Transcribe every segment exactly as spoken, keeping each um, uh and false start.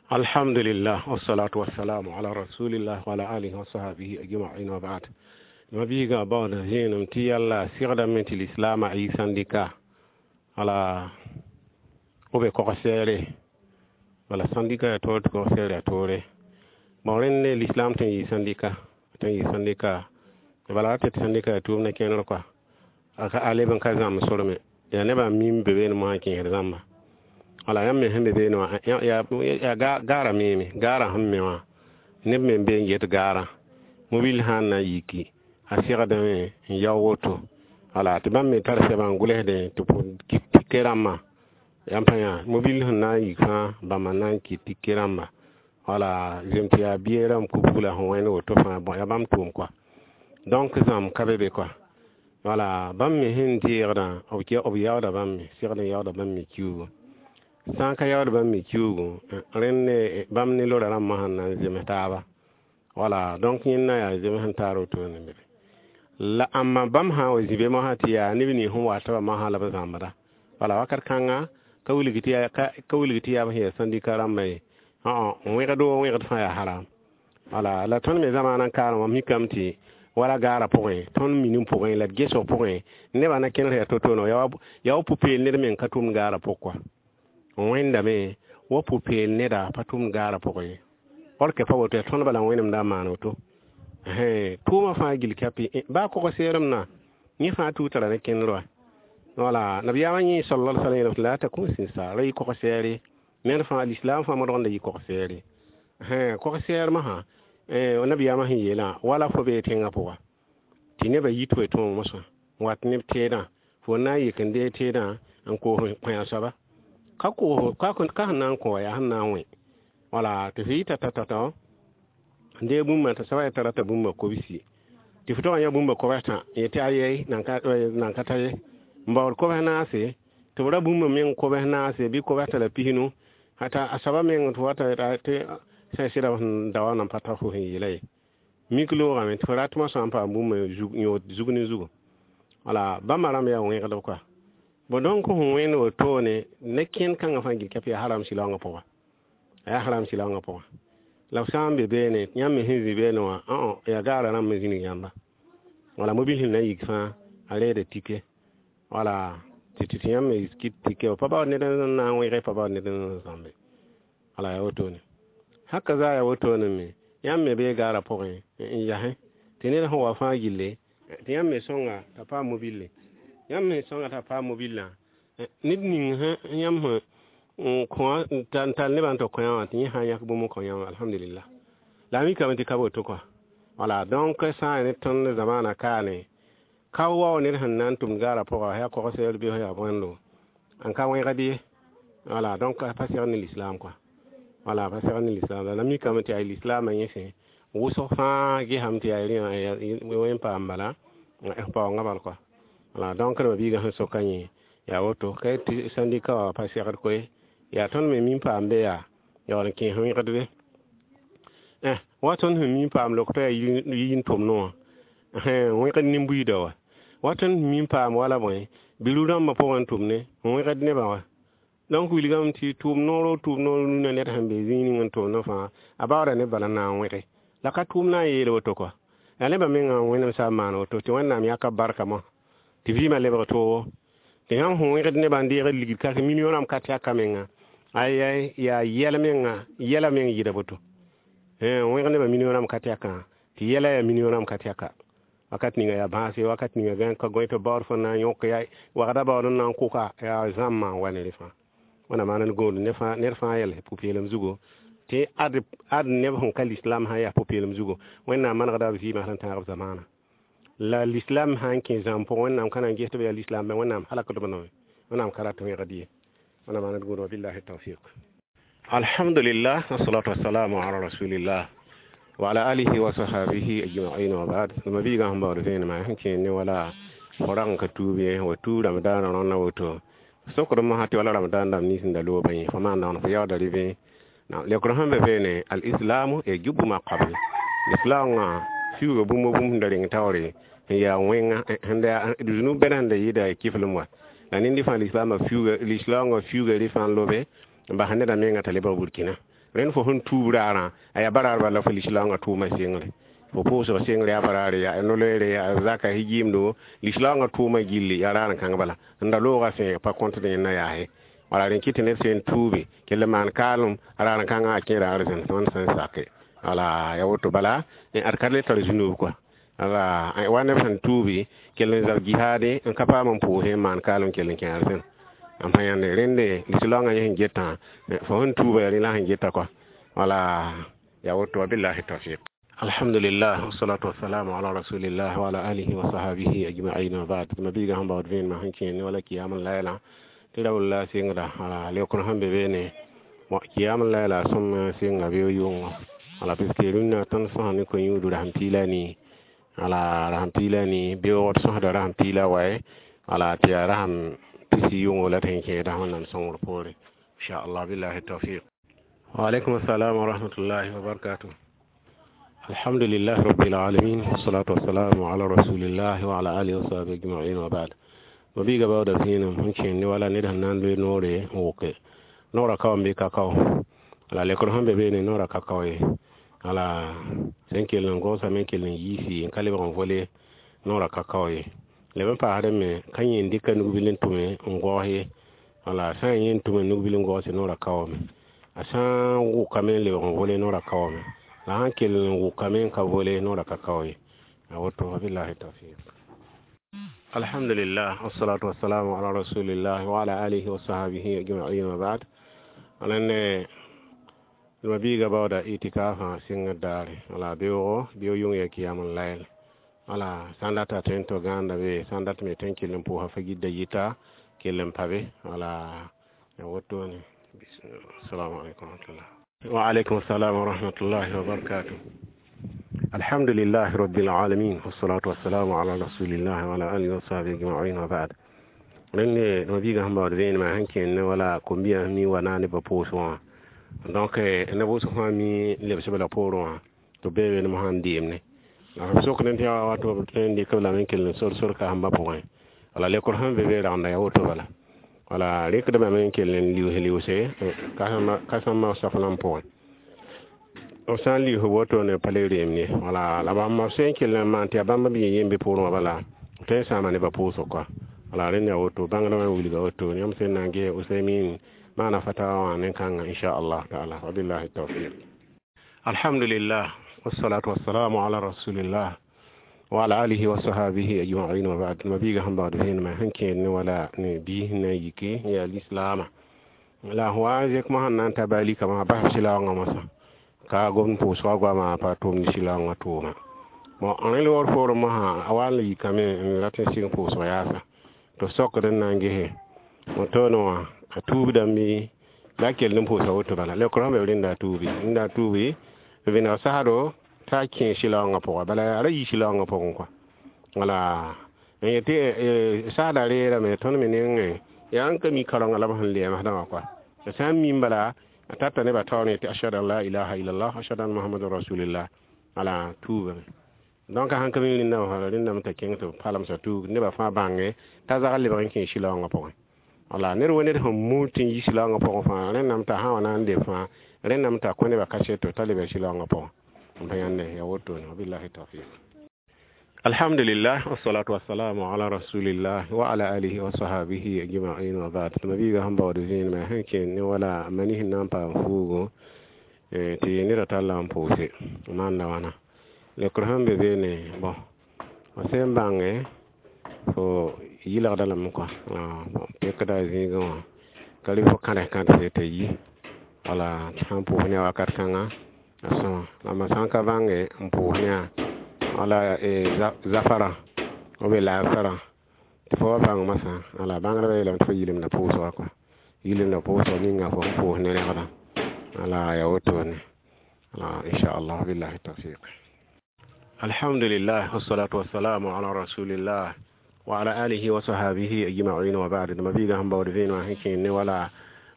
Alhamdulillah, wassalatu wassalamu ala rasulillah wa ala alihi wa sahbihi ajma'in, wa ba'd. Mabiiga baood zẽenem tɩ yalla segdame tɩ lislaamã yɩ sãndika wala b be kog-sɛɛre bala sãndika yaa toor tɩ kog-sɛɛr yaa toore. Bon, rẽnd lislaam tõe n yɩ sãndika, tõe n yɩ sãndika bala ra tɩ sãndika yaa tʋʋmdã kẽner kɔa a leb n ka zãmb sorme yaa nebã n mim be beene mosã n kẽesd zãmba. Wala yãmb me sẽn be beene wã yaa gaara meeme, gaarã sẽn me wã neb me n be n get gaarã mobil sã n na n yiki a segdame n yao woto. Wala tɩ bãmb me tar sɛbã n gʋlsdẽ tɩ kɩt tike rãmbã yãmb pa yã mobil sẽn na n yik fãa bãmba n na n kɩt tike rãmba. Wala zem tɩ yaa biɛ rãmb kuku la sẽn wẽnd woto fãa. Bon, yaa bãmb tʋʋm kɔa, donc zãmb ka be be kɔa. Wala bãmb me sẽn deegdã b yaooda bãmb me segd n yaooda bãmb me kiuugu sã n ka yaood bãmb me kiuugu rẽnd bãmb ne lora rãmbã sẽn na n zems taaba. Wala donc yẽnda yaa zems n taar wotone be la ãmba bãmb sã n wa zĩ be mosã tɩ yaa neb nins sẽn wa tɩ ba mosã la b zãmbda. Wala wakat kãnga ka wilg tɩ yaa ka wilg tɩ yaa b sẽn yaa sãndika rãmbã ye wẽgd o wẽgd fãa yaa haram. Wala la tõnd me zamaana n kaarẽ wã mikame tɩ wala gaarã pʋgẽ tõnd minim pʋgẽ la d gesg pʋgẽ nebã na kẽner yaa to-to yaa wa pʋ-peel ned meng ka tʋmd gaarã pʋg kɔa wẽndame wa pʋ-peel neda pa tʋmd gaarã pʋgẽ ye or ke pa woto yaa tõnd bala wẽnemda n maan woto tʋʋmã fãa gil kapi baa kog-seerem na yẽ fãa tuug tara ne kẽnder wa. Wala nabiyaamã yẽ sala sallam yeelame tɩ la takun sɩnsa ra yɩ kog-sɛɛre ned fãa lislaam fãa modgenda yɩ kog-sɛɛre kog-sɛɛr masã nabiyaamã sẽn yeelã wala fo bee tẽngã pʋga tɩ nebã yit fo tõog mosã n wat neb teedã fo na n yik n dee teedã n koos kõ soaba ka koos ka sẽn na n kõ wa yaa sẽn na n wẽ. Wala tɩ f yita tata n dee bũmba t'a soaba yaa t'a rata bũmba kobsi tɩ f tog n yã bũmba kobs tã yetɩ ayɛy nan ka ta ye n baood kobs naase tɩ b ra bũmba meng kobs naase bɩ kobs t'a la pisnu t'a a soaba meng tɩ wata tɩ sã sɩda sẽn da wa nan pa ta fo sẽn yeela ye mik loogame tɩ fo rat mosã n paam bũmba yõod zug ne zugu. Wala bãmba rãmb yaa wẽgdb kɔa. Bon, donc sẽn wẽnd wotone ne kẽnd kãngã fãa gil kɛp yaa haram silaoongã pʋga, yaa haram silaoongã pʋga la f sã n be beene yãmb me sẽn zĩ beene wã yaa gaarã rãmb me zĩnig yãmba. Wala mobil sẽn na n yik fãa a reeda tike wala tɩ tɩ yãmb me kɩt tike pa baood ned n na n wẽge pa baood ned n zãmbe. Wala yaa wotone haka zaa yaa wotone me yãmb me bee gaarã pʋgẽ n yasẽ tɩ ned sẽn wa fãa gille tɩ yãmb me sõnga t'a paam mobile yãmb me sõnga t'a paam mobilã ned ning yãmb sẽn kõ n tall nebã n tɩ kõ wã tɩ yẽ sã n yãk bũmb n kõ yãmb alhamdulillah la a mikame tɩ ka woto kɔa. Wala donc sã n ne tõnd zamaana kaane ka wao ned sẽn na n tʋmd gaarã pʋga yaa kog-sɛɛr bɩ yaa bõendo n ka wẽgd ye. Wala donc pa segd ne lislaam kɔa, wala pa segd ne lislaam la mikame tɩ yaa lislaamã yẽ sẽ wʋsg fãa gesame tɩ yaa rẽ wẽn paam bala paoongã bal kɔa. Wala donc d biigã sẽn soka yẽ yaa woto ka tɩ sãndika wã pa segd koe yaa tõnd me min paam be yaa yaool n kẽes wẽgd be wa tõnd sẽn min paam lok t'a yaa yin tʋmdẽ wã wẽgd nin-buiidã wa wa tõnd sẽn min paam wala bõe biru rãmbã pʋgẽ tʋmne n wẽgd nebã wa. Donc wilgame tɩ tʋʋm noor tʋʋm noor nuna ned sẽn be zĩig ning n tʋmdẽ fãa a baooda neb bala n na n wẽge la ka tʋʋm na n yeel woto kɔa yaa nebã mengã wẽnem sã n maan woto tɩ Wẽnnaam yãka barka mosã tɩ vɩɩmã lebg toogo tɩ yãmb sẽn wẽgd nebã n deegd ligd ka million rãmb ka tɛka menga ay yaa yɛl menga yɛla meng yɩda boto wẽg nebã million rãmb ka tɛkã tɩ yɛla yaa million rãmb ka tɛka wakat ninga yaa bãase wakat ninga gã ka gõe tɩ baood fo na n yõk ya wagda baood n na n kʋka yaa zãmbã n wa ne rẽ fãa. Wẽnnaam maan d gũud ned fãa yɛl pʋ-peelem zugu tɩ ad ad neb sẽn ka lislaam sã yaa pʋ-peelem zugu Wẽnnaam manegda b vɩɩmã sẽn tãag b zamaana la lislaam sã n kẽ zãmb pʋgẽ Wẽnnaam ka na n ges tɩ b yaa lislaam Wẽnnaam halakd b noe Wẽnnaam ka rat wẽgd ye. Wẽnnaam maan d gũud wabillahi tawfiq. Alhamdulillah, wassalatu wassalamu ala rasulillah wa ala alihi wa sahbihi ajma'in, wa ba'd. Mabiigã sẽn baood vẽenemã sẽn kẽer ne wala fo rag n ka tuub ye wa tuub ramadaanã rõnna woto sokd mosã tɩ wala ramadan dãmb nins n da loobã yẽ fo maan dãng fo yaooda rɩ lekr sẽn be beene alislamu yajubu ma qabl lislaamã fiuuga bũmb bũmb sẽn da reng taoore n yaa wẽnga sẽn da zũnub bɛd sẽn da yɩɩda kiflem wa la ned fãa lislaamã fiuuga lislaangã fiuuga rɩ fãa n lobe n bas neda menga t'a lebg burkina. Rẽnd fo sẽn tuub raarã a yaa baraar bala fo lislaoongã tʋʋma sengre fo pʋʋsg sengre yaa baraare yaa no-loeere yaa zaka yɩɩmdo lislaoongã tʋʋma gilli yaa raar n kãng bala n da loogã sẽn pa kõtd yẽnda yaase wala rẽn kɩt tɩ ned sẽn tuube kell n maan kaalem raar n kãngã a kẽera arzẽn wãnd sẽn sake wala ya woto bala ad ka le tar zũnub kɔa ala wa neb sẽn tuubi kell n zab jihaade n ka paam n pʋʋse n maan kaalem kell n kẽ arzẽn n pa yãnde rẽnde lislaoongã yẽ sẽn getã fo sẽn tuuba yaa rẽ la sẽn geta kɔa wala ya woto wabillahi tawfiq. Alhamdulillah, wassalatu wassalamu ala rasulillah wa ala alihi wa sahbihi ajma'in wa ba'd. Mabiiga sẽn baood vẽenemã sẽn kẽene wala kiyam layla tɩ ra walla sɩngda wala leokr sẽn be beene kiyam layla sõm sɩnga beo yʋngo wala puisque rũnnã tõnd sõsa ne ko-yũud rasem piila nii wala rasem piila nii beoogd sõsda rasem piila waye wala tɩ yaa rasem pisi yʋngo la tɩ sẽn kẽeda wẽnnaam sõngr poore inchallah billahi tawfiq. Wa alaikum assalam wa rahmatullahi wa barakatuh. Alhamdulillah rabbil alamin, wassalatu wassalamu ala rasulillah wa ala alihi wa sahbihi ajma'in wa ba'd. Mabiiga baooda vẽenem sẽn kẽnd wala ned sẽn na n loe noore n wʋke noorã ka wa n be kakao la lekr sẽn be beene noorã ka kao ye wala sẽn kell n gõosame n kell n yiisi n ka lebg n vole noorã ka kao ye leb n paasdẽ me ka yẽ n dɩka nugbil n tʋme n gõos ye wala sã n yẽ n tʋme nugbil n gõose noorã kaoome a sã n wʋkame n lebg n vole noorã kaoome la sãn kell n wʋkame n ka vole noorã ka kao ye a woto wabillahi tawfiq. Alhamdulillah, wassalatu wassalamu ala rasulillah wa ala alihi wa sahbihi ajma'in wa ba'd. Alane mabiiga baooda itikafã sɩngd daare wala beoogo beo yʋng ya kiyam n layl wala sã n data tõe n tɩ gãanda be sã n dat me tõe n kell n pʋʋsa fa gidda yita kell n pa be wala ya wotone. Assalamu alaikum warahmatullah. Wa alaikum assalam wa rahmatullahi wa barakatuh. Alhamdulillah rabbil alamin, wassalatu wassalamu ala rasulillah wa ala alihi wa sahbihi ajma'in wa ba'd. Rẽnde mabiigã sẽn baood vẽenemã sẽn kẽnd wala kom-biyã mi wa na nebã pʋʋs wã donc neb wʋsg fãa mi lebsb la poorẽ wã tɩ b bee vẽenem sãn deemne la b sokd tɩ yaa wato b tõe n dɩk b lame n kell n sor sor kaasembã pʋgẽ wala lekr sẽn be be ragenda yaa woto bala wala rɩkdbame n kell n liuus liʋse kãsẽmbã saflã pʋgẽ b sã n lius wotone pa le reem ye wala la bãmb sẽn kell n maan tɩ yaa bãmb b yẽ yembe poorẽ wã bala tõe n sãama nebã pʋʋsg kɔa wala rẽnd yaa woto bãngdã wã wilga woto yãmb sẽn na n ges Usaymin maana fatawa wã nen-kãngã inchallah taala wabillahi tawfiq. Alhamdulillah, wassalatu wassalamu ala rasulillah wa ala alihi wa sahbihi ajma'in wa ba'd. Mabiiga sẽn baood vẽenemã sẽn kẽed ne wala ne biis na yike yaa lislaamã la wa n zẽk mosã n na n ta baalika mosã bas sɩlaoongã mosã ka gomd pʋʋsgã goamã pa tʋmd sɩlaoongã tʋʋma bon rẽ loogr poorẽ mosã a wa n yikame n rat n sɩng pʋʋsg yaasa tɩ b sokd n na n gese wotone wã a tuubdame la a kell n pʋʋsa woto bala lekr sẽn be b rẽnda a tuubi rẽnda a tuubi vẽneg sasdo t'a kẽ sɩlaoongã pʋga bala a ra yi sɩlaoongã pʋgẽ kɔa wala n yetɩ sasda reerame tõnd me nengẽ yaa n ka mi karoongã la b sẽn lɛɛmsdã wã kɔa sã n mim bala a tata nebã taoor yetɩ ashhadu an la ilaha illallah ashhadu anna muhammadan rasulillah wala tuubame donc sãn ka mi rẽndã wã rẽndame t'a kẽng tɩ b palemsa tuug nebã fãa bãnge t'a zag lebg n kẽ sɩlaoongã pʋgẽ wala ned wo ned sẽn muud tɩ n yi sɩlaoongã pʋgẽ fãa rẽndame t'a sã wa na n leb fãa rẽndame t'a kõ nebã kaseto t'a leb sɩlaoongã pʋgẽ n pa yãnde ya wotone wabillahi tawfiq. Alhamdulillah, wassalatu wassalamu ala rasulillah wa ala alihi wa sahbihi ajma'in wa ba'd. Mabiiga sẽn baood vẽenemã sẽn kẽnd ne wala mani sẽn na n paam fuugo tɩ neda tall n pʋʋse maanda wãna lekr sẽn be beene bõn fo sẽn bãnge fo yɩlgda lame kɔa pekda zĩigẽ wã ka rɩ fo kãres kãdse t'a yi wala sãn pʋʋs ne a wakat kãnga a sõma la ma sã n ka bãnge n pʋʋs ne a wala zafara ou bien laasarã tɩ fo wa bãng masã wala bãngdbã yeelame tɩ fo yɩlemda pʋʋsga kɔa yɩlemda pʋʋsg ninga fo sẽn pʋʋs ne rẽgdã wala yaa wotone wala inchallah billahi tawfiq. Alhamdulillah, wassalatu wassalamu ala rasulillah wa ala alihi wa sahbihi ajma'in wa ba'd. Mabiiga sẽn baood vẽenemã sẽn kẽend ne wala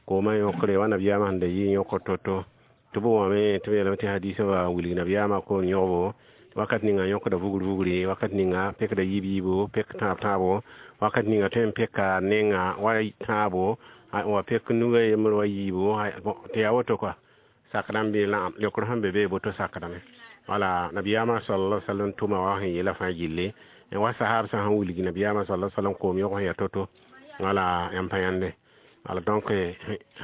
koomã yõkre wa nabiyaamã sẽn da yɩ yõkr to-to tɩ b wame tɩ b yeelame tɩ hadiisã wa wilg nabiyaamã koom yõgbo wakat ninga yõkda vugr vugri wakat ninga pekda yiib yiibo pek tãab tãabo wakat ninga tõe n peka nenga wa tãabo wa pek nuga yembr wa yiibo tɩ yaa woto kɔa Sakdame bɩ naam leokr sẽn be bee boto sakdame wala nabiyaamã sallallahu alaihi wasallam tʋma wa sẽn yeela fãa gilli wa sahab sã sẽn wilgi nabiyaamã sallallahu alaihi wasallam koom yog sẽn yaa to-to wala yãmb pa yãnde wala donc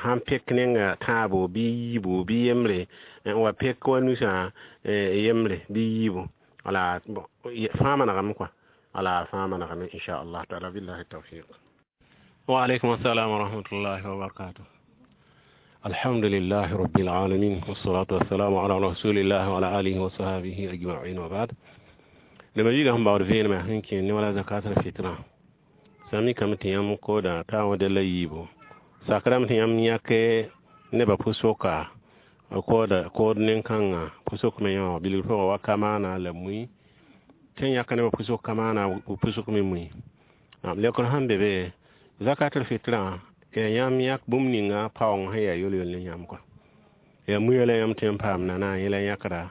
sãn pek nenga tãabo bɩ yiibu bɩ yembre n wa pek wa nusã yembre bɩ yiibu wala fãa manegame kɔa wala fãa manegame inchallah taala billahi tawfiq. Wa alaikum assalam wa rahmatullahi wa barakatuh. Alhamdulillahi rabbil alamin wassalatu wassalamu ala rasulillah wa ala alihi wa sahbihi ajma'in wa ba'd. Lema yiga sẽn baood vẽenemã sẽn kẽ ne wala zakat al fitra sã mikame tɩ yãmb kooda t'a wã della yiibu sakrame tɩ yãmb yãke nebã pʋ-soka kooda kood nen-kãngã pʋ-sok me yã wã bilg pʋgã wa kamaana la mui tɩ yãka nebã pʋ-sok kamaana pʋ-sok me mui leokr sẽn be be zakatul fitrã yaa yãmb yãk bũmb ninga paoong sẽn yaa yol-yol ne yãmb kɔa yaa muya la yãmb tõe n paam nana yẽ la yãkda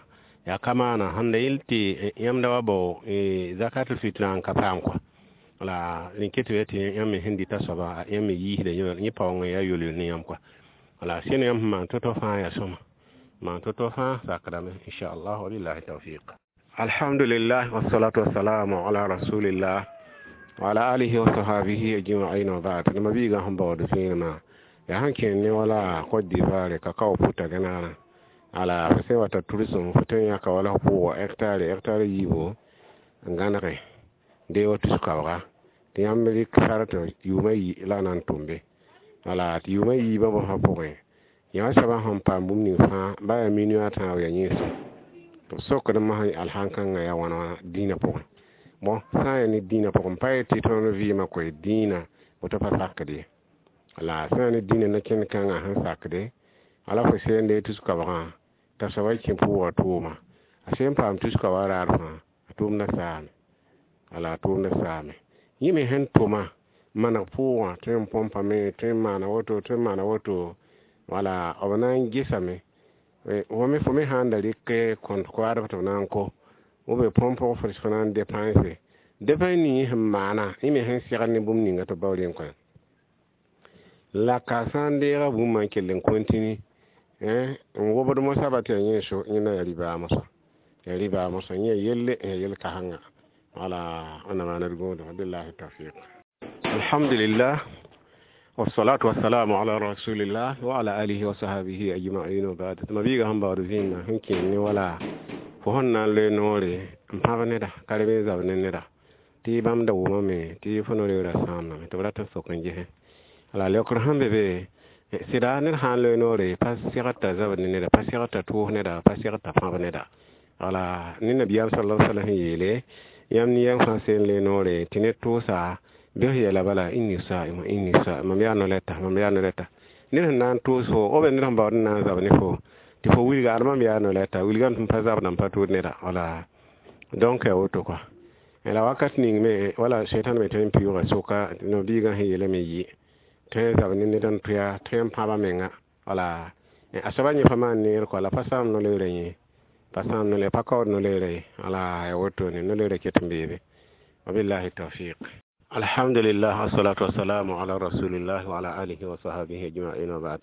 yaa kamaana sẽn da yel tɩ yãmb da wa bao zakatul fitrã n ka paam kɔa wala rẽ ket tɩ yãmb me sẽn dɩta soaba yãmb me yiisda yẽ paoong n yaa yol-yol ne yãmb kɔa wala sẽn yãmb sẽn maan to-to fãa yaa sõma maan to-to fãa sakdame inchallah wabillahi tawfiq. Alhamdulillah wassalatu wassalamu ala rasulillah wa ala alihi wa sahbihi ajma'in wa ba'd. Nima biiga sẽn baood vẽenemã yaa sẽn kẽnd ne wala Côte d'Ivoire kakao puta gẽnegã ala fo sẽn wata tʋrsem fo tõe n yãka wala f pʋʋga hectare hectare yiibu n gãnege dee wa tus-kaooga tɩ yãmb rɩk sartã yʋʋmã yi la a na n tʋm be wala tɩ yʋʋmã yiibã bõsã pʋgẽ yã soabã sẽn paam bũmb ning fãa ba yaa million a tãab yaa yẽesem tɩ b sokd mosã alhãn-kãngã yaa wãna wãna dĩinã pʋgẽ bon sã n yaa ne dĩinã pʋgẽ pa yetɩ tõnd vɩɩmã koe dĩinã woto pa sakd ye la sã n yaa ne dĩinã na-kẽnd kãngã sẽn sakde ala fo sende tus-kaoogã t'a soabã kẽ pʋʋgã tʋʋma a sẽn paam tus-kaoogã raar fãa a tʋʋmdã saame wala a tʋʋmdã saame yẽ me sẽn tʋma maneg pʋʋgã tõe n põmpame tõe n maana woto tõe n maana woto wala b na n gesame fo me fo me sãn da rɩk kõnt koaadb tɩ b na n ko ou bien põmpg fo fo na n dépense dépense ning sẽn maana yẽ me sẽn segd ne bũmb ninga tɩ b bao rẽ kõ la ka sã n deega bũmba n kell n continue n wobd mosã ba tɩ yaa yẽ so yẽ na yaa ribaa mosã yaa ribaa mosã yẽ yaa yelle yaa yel-kãsenga wala wẽnnaam maana d gũudum billahi tawfiq. Alhamdulillah wassalatu wassalamu ala rasulillah wa ala alihi wa sahbihi ajma'in wa ba'd. Tɩ mabiiga sẽn baood vẽenã sẽn kẽnd ne wala fo sẽn na n loe noore n pãb neda ka reb n zab ne neda tɩ bãmb da wʋmame tɩ fo no-reoorã sãamdame tɩ b rat n sok n gesẽ la leokr sẽn be be sɩda ned sã n loe noore pa segd t'a zabd ne neda pa segd t'a tʋʋs neda pa segd t'a pãb neda wala ne nabiyaam sallallahu alaihi wasallam yeele yãmb ne yãmb fãa sẽn loe noore tɩ ned tʋʋsa bɩs yeela bala inni saim inni saim mam yaa no-rɛta mam yaa no-rɛta ned sẽn na n tʋʋs fo b ned sẽn baood n na n zab ne fo tɩ fo wilga ad mam yaa no-rɛta wilgame tɩ m pa zabda n pa tʋʋd neda wala donc yaa woto kɔa la wakat ning me wala sẽtan me tõe n pɩʋʋga soka no-biigã sẽn yeelame yɩ tõe n zab ne ned n tʋya tõe n pãba menga wala a soaba yẽ pa maan neer kɔa la pa sãam no-leoorã yẽ pa sãam no pa kaood no-leoorã ye wala yaa wotone no-leoorã ket n beebe wabillahi tawfiq. Alhamdulillah wassalatu wassalamu ala rasulillah wa ala alihi wa sahbihi ajma'in wa ba'd.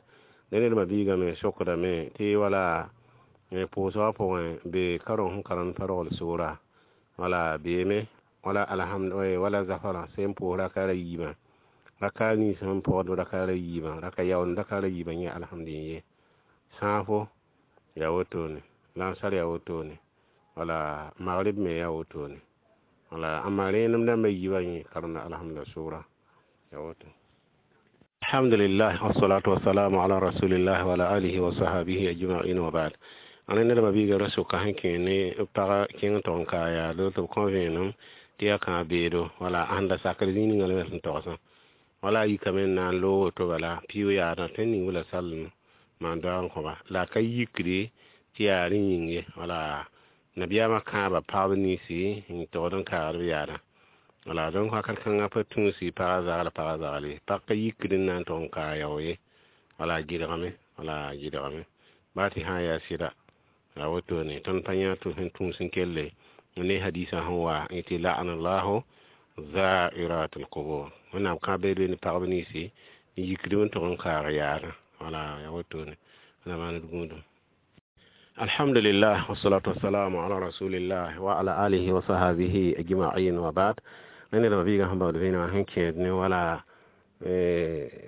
Ne ned mabiigame sokdame tɩ wala pʋʋsgã pʋgẽ be kareng sẽn karemd pa rogl sʋʋra wala beeme wala alhamd wala zafarã sẽn pʋʋs raka ra yiibã raka nins sẽn pɔgd raka ra yiibã raka yaoond raka ra yiibã yẽ alhamd ye sãafo yaa wotone lansar yaa wotone wala magrib me yaa wotone wala amma rẽenem dãmbã yiibã yẽ karemda alhamda sʋʋra yaa woto. Alhamdulillah wassalatu wassalamu ala rasulillah wa ala alihi wa sahbihi ajma'in wa ba'd. Ãna ned mabiiga ra soka sẽn kẽ ne pag kẽng tog n ka yaado tɩ b kõ vẽenem tɩ yaa kãa beedo wala ãn da sakr zĩig ninga la me sẽn togsã wala a yikame n na n loog woto bala piʋʋg yaadã tõe n ning la sallem maan doag n kõba la a ka yikde tɩ yaa rẽ yĩng ye wala nabiyaamã kãaba pagb ninsi n togd n kaagd b yaadã wala donc wakat kãngã pa tũusi pagã zagl pagã zagl ye pag ka yikd n na n tog n kaa yao ye wala a gɩdgame wala a gɩdgame baa tɩ sã n yaa sɩda la wotone tõnd pa yã tɩ sẽn tũus n kelle ne hadisã sẽn wa n tɩ la'anallahu zairat alqubur wẽnnaam kã beed ne pagb ninsi n yikd n tog n kaag yaadã wala yaa wotone wẽnnaam maan d gũudum. Alhamdulillah, wassalatu wassalamu ala rasulillah wa ala alihi wa sahbihi ajma'in, wa ba'd. Nene da biga hamba da vina sẽn kẽed ne wala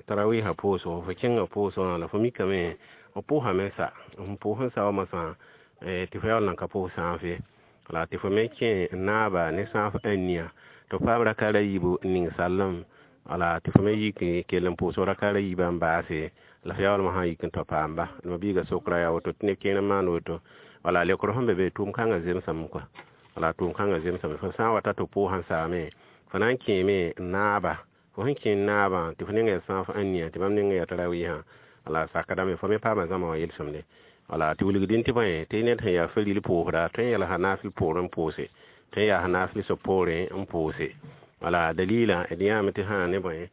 tarawiha pʋʋsgo, fo kẽnga pʋʋsgã la fo mikame f pʋʋsame sa n pʋʋs n sa wa masã tɩ fo yaool nan ka pʋʋs sãaf ye, la tɩ fo me kẽ n naaba ne sãaf ãnia tɩ f paam raka ra yiibu n ning sallem, wala tɩ fo me yik kell n pʋʋs raka ra yiibã n baase, la f yaoolmã sã n yik n tao paamba. Ma biiga sokra yaa woto tɩ neb kẽer n maan woto, wala leokr sẽn be be tʋʋm kãngã zemsame kɔa, wala tʋʋm kãngã zemsame. Fo sã n wa ta tɩ pʋʋsã n saame, fo na n kẽeme n naaba, fo sẽn kẽ n naabã tɩ fo nengã yaa sãaf ãnia tɩ bãmb nengã yaa tarawiisã, wala sakdame fo me paama zãma wã yel-sõmde. Wala tɩ wilgdẽ tɩ bõe tɩ ned sẽn yaa faril pʋʋsda tõe n yɛlsa naafɩl poorẽ n pʋʋse, tõe n yaasa naafɩl soab poorẽ n pʋʋse. Wala dalila d yãame tɩ sã ne bõe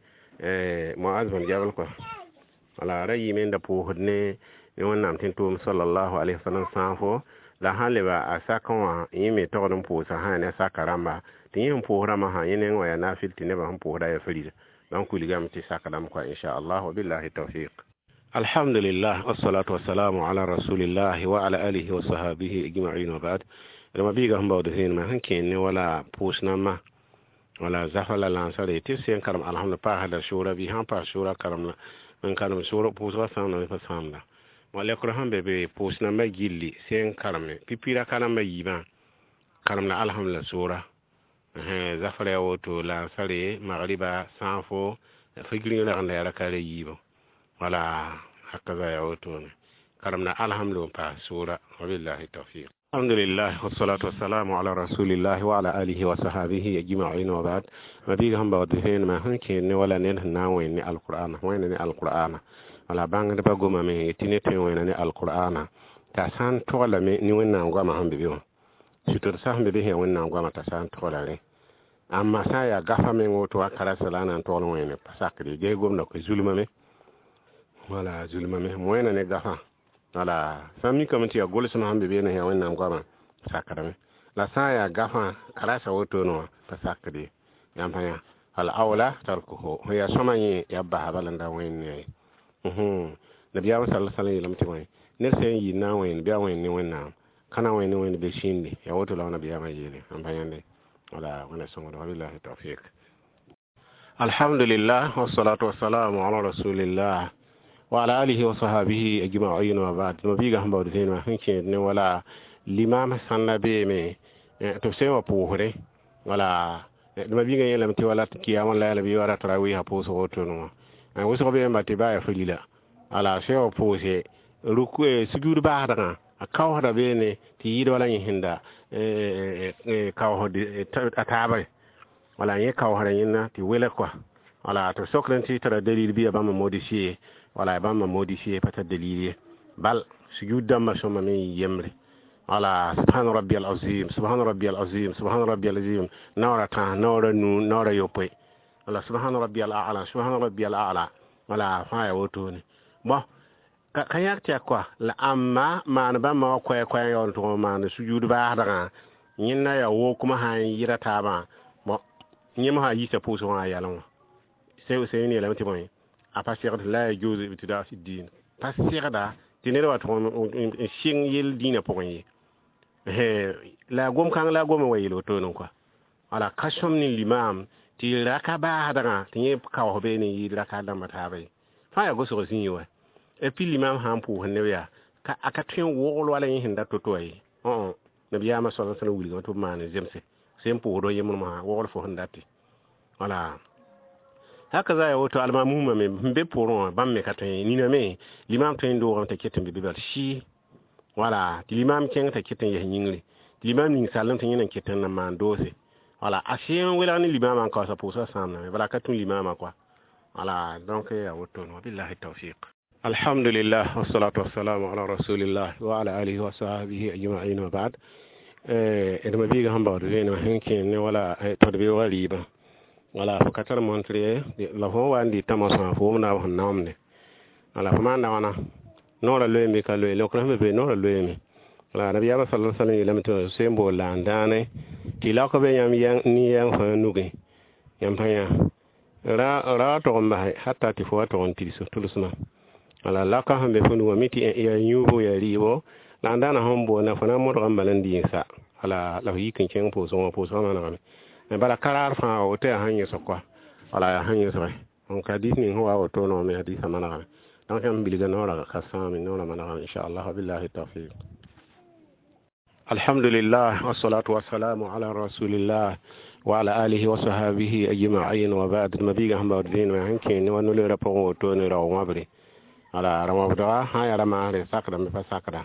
Moaz bõn Jabal kɔa, wala ra yɩɩme n da pʋʋsd ne ne Wẽnnaam tẽn-tʋʋm sallallahu alaihi wasallam sãafo, la sãn leba a sakẽ wã yẽ me togd n pʋʋsa sã ne saka rãmba tɩ yẽ sẽn pʋʋs rãmbã sã yẽ neng wã yaa naafɩl tɩ nebã sẽn pʋʋsda yaa farila. Donc wilgame tɩ sakdame kɔa, inchallah, wa billahi tawfiq. Alhamdulillah, wassalatu wassalamu ala rasulillah wa ala alihi wa sahbihi ajma'in, wa ba'd. Rãmba biiga sẽn baood zẽenema sẽn kẽer ne wala pʋʋs nambã, wala zafa la lansare tɩ b sẽn karem alhamd paasda sʋʋra bɩ sãn paas sʋʋra karem la n karem sʋʋra pʋʋsgã sãamdame pa sãamda. Ma lekr sẽn be be pʋʋs nambã gilli sẽn kareme pipi raka rãmbã yiibã karem la alhamd la sʋʋra zafra yaa woto lansare magriba sãafo figr ragenda yaa raka ra yiibã, wala hakaza yaa wotone karem la alhamd n paas sʋʋra, wabillahi tawfiq. Alhamdulillah, wassalatu wassalamu ala rasulillah wa ala alihi wa sahbihi ajma'in, wa ba'd. Ma biiga sẽn baood vẽenemã sẽn kẽer ne wala ned sẽn na n wẽnd ne alqur'ana, wẽnda ne alqur'ana, wala bãngdbã gomame tɩ ned tõe n wẽna ne alqur'ana t'a sã n toglame ne Wẽnnaam goamã sẽn be be wã, sʋtd sa sẽn be be sẽn yaa Wẽnnaam goamã t'a sã n togla rẽ. Amma sã n yaa gafa meng woto wa karasa la a na n togl wẽne pa sakd ye, ges gomda koe zulmame, wala zulmame wẽna ne gafã, wala sã n mikame tɩ yaa gʋlsem sẽn be beene sẽn yaa Wẽnnaam goamã sakdame, la sã n yaa gafã karasa wotone wã pa sakd ye. Yãmb pa yã al awla tarkuhu, sẽn yaa sõma yẽ yaa basa bala n da wẽnd ne ye. Nabiyaamã sala sallam yeelame tɩ bõe ned sẽn yɩ na n wẽnd bɩ a wẽnd ne Wẽnnaam ka na n wẽnd ne Wẽnd be sĩinde, yaa woto la nabiyaamã yeele. Yãmb pa yãnde, wala Wẽnna sõngd, wabillahi tawfiq. Alhamdulillah, wassalatu wassalamu ala rasulillah wa ala alihi wa sahbihi ajma'in, wa ba'd. Ma biiga sẽn baood vẽenemã sẽn kẽed ne wala limam sãn la beeme tɩ b sẽn wa pʋʋsdẽ, wala ma biiga yeelame tɩ wala kiyama la yɛla bɩ wala tarawiisã pʋʋsg wotone wã wʋsg beemba tɩ baa yaa farila, wala sẽn wa pʋʋse ruku sujud baasdgã a kaoosda beene tɩ yɩɩd wala yẽ sẽn da kaoosd a taaba, wala yẽ kaoosda yẽnda tɩ welg kɔa, wala tɩ sokd tɩ tara dalil bɩ yaa bãmb modifier, wala bãmb modifier pa tar dalil ye, bal sujud dãmbã sõma me n yembre, wala subhana rabbiyal azim, subhana rabbiyal azim, subhana rabbiyal azim naoora tãs, naoora nu, naoora yopoe, wala subhana rabbiyal a'la, subhana rabbiyal a'la, wala fãa yaa wotone. Bon, ka yãk tɩ yaa kɔa la ãmba maan bãmba wã koɛɛ-koɛɛ n yaool n tʋg n maan sujud baasdgã yẽnda yaa wokmã sã n yɩra taabã. Bon, yẽ mosã a yiisa pʋʋsg wã a yalẽ wã sẽn yeelame tɩ bõe a pa segd la yajuzu ibtida fi din, pa segda tɩ ned wa tʋg n sɩng yell dĩinã pʋgẽ ye, la gom kãng la a gom wa yeel wotone kɔa, wala ka sõm ne limam tɩ raka baasdgã tɩ yẽ kaoos beene n yɩɩd raka dãmbã taaba ye, fãa yaa gosg zĩig wa. Et puis limam sã n pʋʋs neb yaa a ka tõe n wogl wala yẽ sẽn da to-to wã ye, nabiyaamã sala sallam wilgame tɩ b maan zemse sẽn pʋʋsd wa yembr mosã wogl fo sẽn date, wala haka za ya woto almamuma me n be poorẽ wã bãmb me ka tõe nina me limam tõe n doogame t'a ket n be be bal sɩ, wala tɩ limam kẽng t'a ket n yes yĩngri, tɩ limam ning sallem tɩ yẽ na n ket n na maan doose, wala a sẽn welg ne limamã n kaoosa pʋʋsgã sãamdame, bala ka tũ limamã kɔa, wala donc yaa wotone, wabillahi tawfiq. Alhamdulillah, wassalatu wassalamu ala rasulillah wa ala alihi wa sahbihi ajma'in, wa ba'd. D ma biiga sẽn baood vẽenemã sẽn kẽer ne wala tõd beoogã rɩɩbã, wala fo ka tar montre ye, la fo wa n dɩ tãmosã fo wʋmda b sẽn naomde, wala fo maanda wãna noorã loeeme bɩ ka loe, leokr sẽn be be noorã loeeme. Wala nabiyaamã sala sallam yeelame tɩ sẽn bool la n dãane tɩ lak be yãmb nin-yɛng fãa nugẽ, yãmb pa yã ra wa tog n base hatta tɩ fo wa tog n tigs tʋlsmã, wala laka sẽn be fo nugã mi tɩ yaa yũubo yaa rɩɩbo, La n daana sẽn boonda fo na n modg n bala n dɩ n sa wala la f yik n kẽng pʋʋsgẽ wã pʋʋsgã manegame bala karaar fãa woto yaa sẽn yẽsg kɔa wala yaa sẽn yẽsge donc hadis ning sẽn wa woto no me hadisã manegame donc yãmb bilga noorã ka sãame noorã manegame inchallah wabillahi tawfiq alhamdulillah wassalatu wassalamu ala rasulillah wa ala alihi wa sahbihi ajma'in wa ba'd mabiga sẽn baood vẽenemã sẽn kẽ ne wa no-loeerã pʋgẽ woto ne rao-wãbre wala rao-wãbdga sã n yaa ra-maasre sakdame pa sakda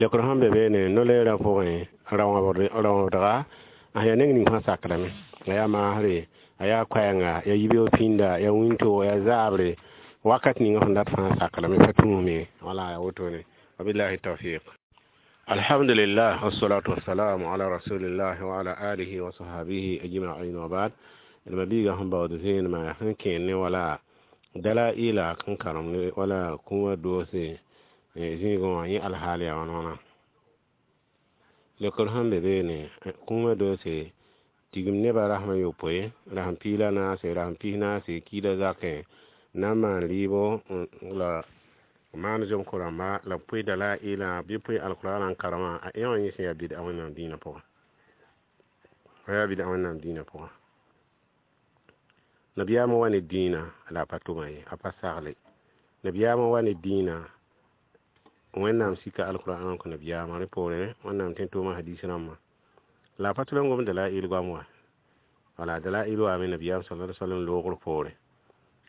lekr sẽn be beene no-loeerã pʋgẽ rao-wãbdga a yaa neng ning fãa sakdame a yaa maasre a yaa koɛɛnga yaa yibeoog pĩnda yaa wĩntoog yaa zaabre wakat ninga sẽn dat fãa sakdame pa tũusme wala yaa wotone wabillahi tawfiq alhamdulillah wassalatu wassalamu ala rasulillah wa ala alihi wa sahbihi ajma'in wa ba'd mabiiga sẽn baood vẽenemã sẽn kẽer ne wala dalaila n karem ne wala kũumã doose zĩigẽ wã yẽ alhaal yaa wãn wãna lekr sẽn be beene kũumã doose tigim nebã rasem a yopoe rasem piig la naase rasem pis naase kiida zakẽ na n maan rɩɩbo la maan zomko rãmba la b pʋɩ dalaila bɩ pʋɩ alkurana n karemã a ẽ wã yẽ sẽn yaa bɩd'a wẽnnaam dĩinã pʋgã a yaa bɩd'a wẽnnaam dĩinã pʋgã nabiyaamã wa ne dĩinã la a pa tʋma ye a pa sagle nabiyaamã wa ne dĩinã wẽnnaam sika alkur'an n kõ nabiyaamã rẽ poorẽ wẽnnaam tõe n tʋʋma hadis rãmbã la a pa tʋl n gom dalail goam wã wala dalail waame nabiyaam sala alaihi wasallam loogr poore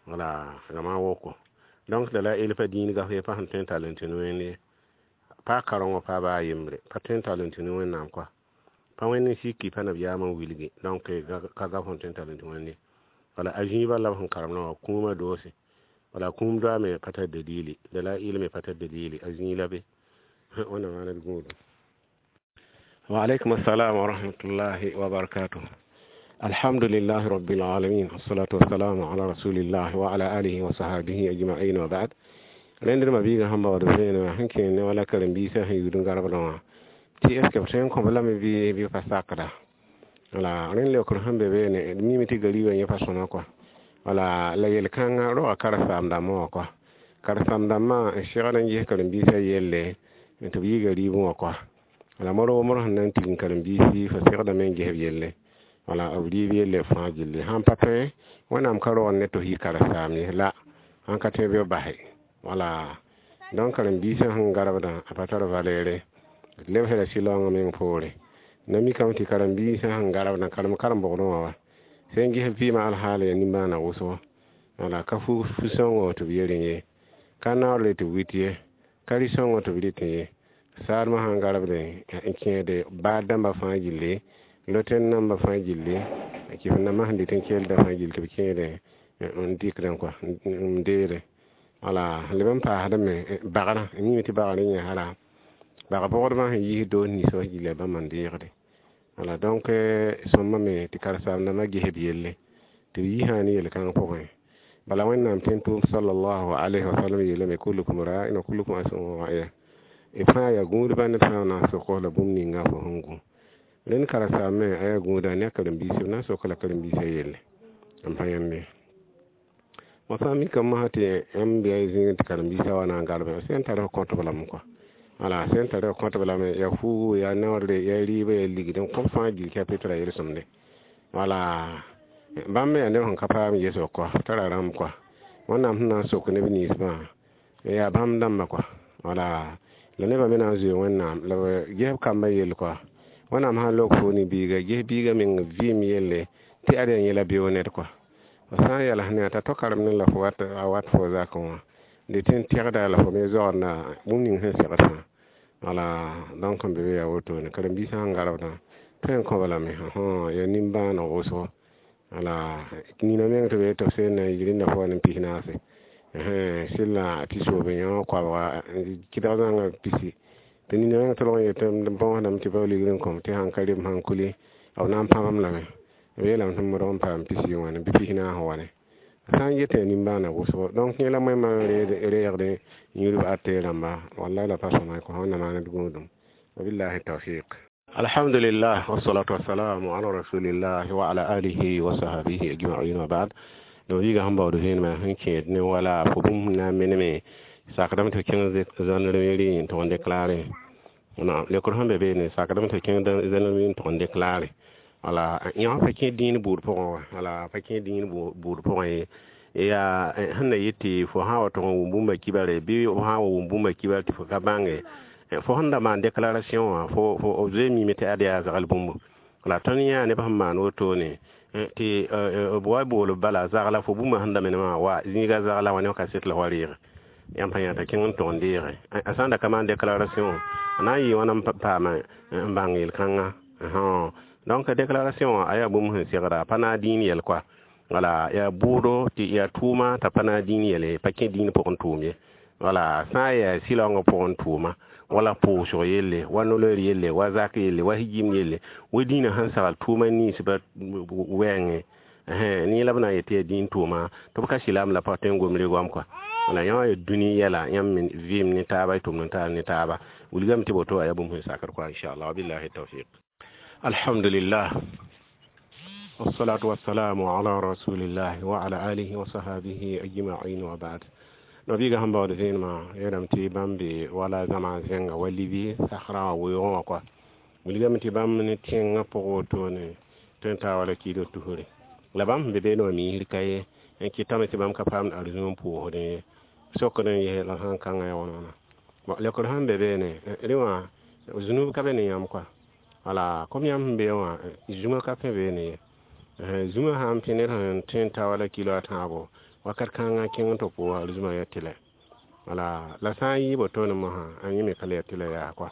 wala rãmã woko donc dalail pa dĩin gaf ye pa sẽn tõe n tall n tũ ne wẽnd ye pa karengõ pa baa yembre pa tõe n tall n tũ ne wẽnnaam kɔa pa wẽnd n siki pa nabiyaamã n wilgi donc ka gaf sẽn tõe n tall n tũ wẽnd ye wala a zĩibã la b sẽn karemdã wã kũumã doose wala kũum doa me pa tar dalili dalail me pa tar dalili a zĩig la be wẽnnaam maana d gũudum wa alaikum assalam wa rahmatullahi wa barakatuh alhamdulillah rabbil alamin wassalatu wassalamu ala rasulillah wa ala alihi wa sahbihi ajma'in wa ba'd rẽndr mabiigã sẽn baood vẽenemã sẽn kẽer ne wala karen-biisã sẽn yud n garbdã wã tɩ est ce que b tõe n kõb lame bɩ bɩ pa sakda wala rẽnd leokr sẽn be beene d miime tɩ gariibã yẽ pa sõma kɔa wala la yel-kãngã roga karen-saam-dãmbã wã kɔa karen-saam-dãmbã n segd n ges karen-biisã yelle tɩ b yɩ gariibẽ wã kɔa wala moor sẽn na n tigim karen-biisi fa segdame n ges b yelle wala b rɩɩb yelle fãa gilli sãn pa tõe wẽnnaam ka rogd ne tɩ f yɩ karen-saam ye la sãn ka tõe bɩ b base wala donc karen-biisã sẽn garbdã a pa tar valɛɛre d lebsda sɩlaoongã meng poore na mikame tɩ karen-biisã sẽn garbdã karem karen-bogdẽ wã wa sẽn ges vɩɩmã alhaal ya nimbãaneg wʋsgo wala ka fu-sõngo tɩ b yerẽ ye ka naoor tɩ b wit ye ka rɩ-sõngo tɩ b rɩtẽ ye saadmã sãn garbdẽ n kẽede baad dãmbã fãa gilli loten nambã fãa gilli kɩf nambã sẽn dɩt n kelda fãa gill tɩ b kẽede n dɩkdẽ kɔa n deede wala leb n paasdame bagrã n yĩme tɩ bagrã yẽ hala bag bogdbã sẽn yis doos ninsã wã gilla bãmba n deegde wala donc sõmba me tɩ karen-saam-dãmbã ges b yelle tɩ b yisã ne yel-kãng pʋgẽ bala wẽnnaam tõe n tʋʋm sallallahu alayhi wa sallam yeelame kullukum ra'in wa kullukum mas'ulun an ra'iya b fãa yaa gũudbã ned fãa na n sok la bũmb ninga fo sẽn gũ rẽnd karen-saam me a yaa gũuda ne a karen-biis b na n sok la karen-biisã yelle n pa yãmb ye moasã mikame mosã tɩ yãmb bɩ a zĩig tɩ karen-biisã wa na n garbẽ sẽn tar f kõtb lame kɔa wala sẽn tar f kõtb lame yaa fuugu yaa naoodre yaa rɩɩbã yaa ligd n kõb fãa gil chapitre a yel-sõmde wala bãmb me yaa neb sẽn ka paam yesg kɔa tara rãmb kɔa wẽnnaam sẽn na n sok neb ninsbã yaa bãmb dãmbã kɔa wala la nebã me na n zoe wẽnnaam la b ges b kambã yell kɔa wẽnnaam sã n lok fo ne biiga ges biiga meng vɩɩm yelle tɩ ad yaa yẽla beoog ned kɔa f sã n yals ne t'a to karem ne la fo wat a wat fo zakẽ wã dɩ n tẽgda la fo me zoagenda bũmb ning sẽn segd fãa wala donc n be be yaa wotone karen-biisã sẽn garbdã tõe n kõba lame yaa nimbãaneg wʋsgo wala nina meng tɩ b tɩ b sẽn na n yik rẽnda fo wa ne pis naase sɩlla tɩ soob yõ koabga kɩdg zãnga pisi tɩ nina meng tʋlg n yetɩ bõosdame tɩ bao ligd n kõm tɩ sãn ka rem sãn kuli b na n pãbam lame b yeelame tɩ modg n paam pisi wãne bɩ pis naas wane sã n yetẽ nimbãaneg wʋsgo donc yẽ la moẽmã reegdẽ yũudb ate rãmba wallahi la pa sõma kõ wẽnnaam maan d gũudum wabillahi tawfiq alhamdulillah wassalatu wassalamu ala rasulillah wa ala alihi wa sahbihi ajma'in wa ba'd no wiiga sẽn baood vẽenemã sẽn kẽed ne wala fo bũmb na n meneme sakdame tɩ f kẽng zãnrem rɩ n tʋg n déclare Na lekr sẽn be beene sakdame tɩ kẽng zẽnem n tʋg n déclare wala yã pa kẽ dĩin buud pʋgẽ wã wala pa kẽ dĩin buud pʋgẽ ye yaa sẽn na yet tɩ fo sã n wa tʋg n wʋm bũmba kibare bɩ fo sã n wa wʋm bũmba kibar tɩ fo ka bãnge fo sẽn da maan déclaration wã fo fo zoe mime tɩ ad yaa zagl bũmbu la tõnd yã neb sẽn maan wotone tɩ b wa bool bala zagla fo bũmba sẽn da menemã wa zĩiga zagla wã ne kaset la wa reege yãmb pa yã t'a kẽng n tʋg n deege a sã n da ka maan déclaration a na n yɩ wãna n paama n bãng yel-kãngã donc déclaration wã a yaa bũmb sẽn segra a pa naag dĩin yɛl kɔa wala yaa bʋʋdo tɩ yaa tʋʋma t'a pa naag dĩin yɛl pa kẽ dĩin pʋgẽ tʋʋm ye wala sã n yaa sɩlaoongã pʋgẽ tʋʋma wala pʋʋsg yelle wa no-loeer yelle wa zak yelle wa higim yelle wa dĩinã sẽn sagl tʋʋma ninsbã wɛɛngẽ ne la b na n yet tɩ yaa dĩin tʋʋma tɩ b ka sɩlam la pa tõe n gom regoam kɔa wala yã wã yaa dũni yɛla yãmb me vɩɩm ne taaba y tʋmd n taal ne taaba wilgame tɩ woto a yaa bũmb sẽn sakd kɔa inchallah wabillahi tawfiq alhamdulillah والصلاة والسلام على رسول الله وعلى آله وصحبه أجمعين وبعد nabiga sẽn baood vẽenemã yeelame tɩ bãmb be wala zãma zẽnga wa libi sakrã wã weoogẽ wã kɔa wilgame tɩ bãmb ne tẽngã pʋg wotone tõe n taa wala kiidg tusre la bãmb sẽn be beene wã miisr ka ye n kɩtame tɩ bãmb ka paamd arzũm n pʋʋsdẽ ye sokd n yɛs la sãn kãngã ya wãna wãna bon lekr sẽn be beene rẽ wã zũnub ka be ne yãmb kɔa wala kom yãmb sẽn be wã zũma ka pẽ beene ye zũma sã n pẽ ned sẽn tõe n ta wala kilo a tãabo wakat kãngã kẽng n tɩ pʋʋsa arzũma yaa tɩlɛ wala la sã n yɩ wotone mosã a yẽ me ka le yaa tɩlɛ yaa kɔa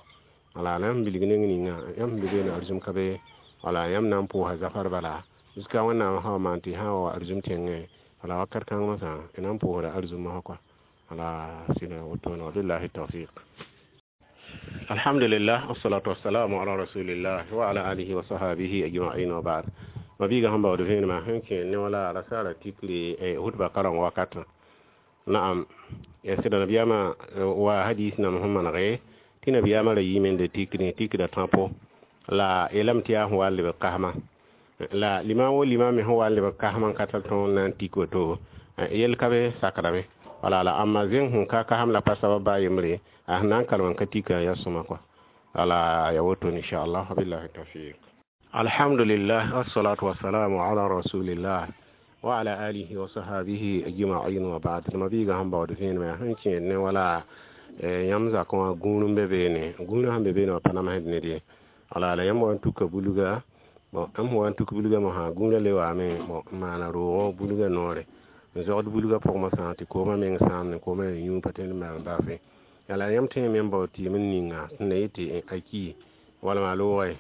wala la yãmb bilg neng ninga yãmb sẽn be beene arzũm ka be wala yãmb na n pʋʋsa zafar bala jusqu'à wẽnnaam sã wa maan tɩ sã wa arzũm tẽngẽ wala wakat kãng mosã y na n pʋʋsda arzũm mosã kɔa wala sɩda wotone wabillahi tawfiq alhamdulillah wassalatu wassalamu ala rasulillah wa ala alihi wa sahabihi ajma'in wa ba'd mabiiga sẽn baood vẽenemã sẽn kẽ ne wala rasaara tikre hutba kareng wakatã naam ya sɩda nabiyaamã wa hadis nam sẽn manege tɩ nabiyaamã ra yiime n de tikre tikra tãpo la yeelame tɩ yaa sẽn wa n lebg kasma la limam wo limam me sẽn wa n lebg kasmã n ka tar tõog n na n tik woto yell ka be sakdame wala la amma zẽng sẽn ka kasem la pa sabab baa yembre a sẽn na n kalem n ka tika yaa sõma kɔa wala ya woto inchallah wabillahi tawfiq alhamdulillah wassalatu wassalamu ala rasulillah wa ala alihi wa sahabihi ajma'in wa ba'd mabiiga sẽn baood vẽenemã sẽn kẽed ne wala yãmb zakẽ wã gũud n be beene gũudã sẽn be beene wã pa namsd ned ye wala la yãmb wa n tuka bulga bon yãmb sẽn wa n tuk bulgã mosã gũudã le waame bon n maana roogo bulgã noore n zogd bulgã pʋg mosã tɩ koomã meng sãam ne koomã yaa yũ pa tõe n maan baafẽ yaa yãmb tõe me n bao tɩɩm n ninga sẽn na yet tɩ a ki walma a loogã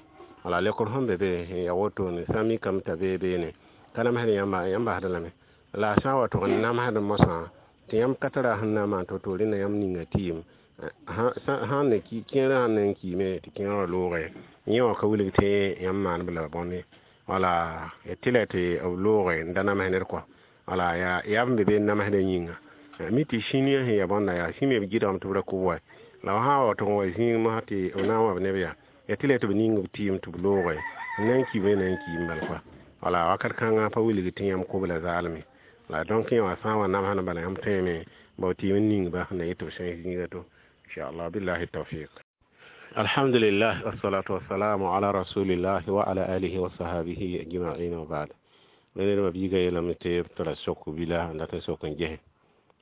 wala lekr sẽn be be ya wotone sã n mikame t'a bee beene ka namsd yãmba yãmb basd lame la a sã n wa tʋg n namsd mosã tɩ yãmb ka tara sẽn na n maan to-to rẽnda yãmb ninga tɩɩm sãn ne kẽerã sãn na n kiime tɩ kẽerã wã loogẽ yẽ wã ka wilg tɩ yãmb maaneb la bõne wala ya tɩ la tɩ b loogẽ n da namsd ned kɔa wala yaa yaa b be be n namsdã yĩnga mi tɩ sĩniyã sẽn ya bõnda yaa sĩ me b gɩdgame tɩ b ra kʋb wa la b sã n wa tʋg n wa zĩig mosã tɩ b na n wa b neb yaa ya tɩ la tɩ b ning b tɩɩm tɩ b loogẽ n na n kiime na n kiim bal kɔa wala wakat kãngã pa wilg tɩ yãmb kʋb la zaalme la donc yẽ wã sã n wa namsd bala yãmb tõeme bao tɩɩm n ningba sẽn na yet tɩ b sẽes zĩiga to inchallah billahi tawfiq alhamdulillah wassalatu wassalamu ala rasulillah wa ala alihi wa sahabihi ajma'in wa ba'd ned biiga yeelame tɩ b tara sok bila n dat n sok n ges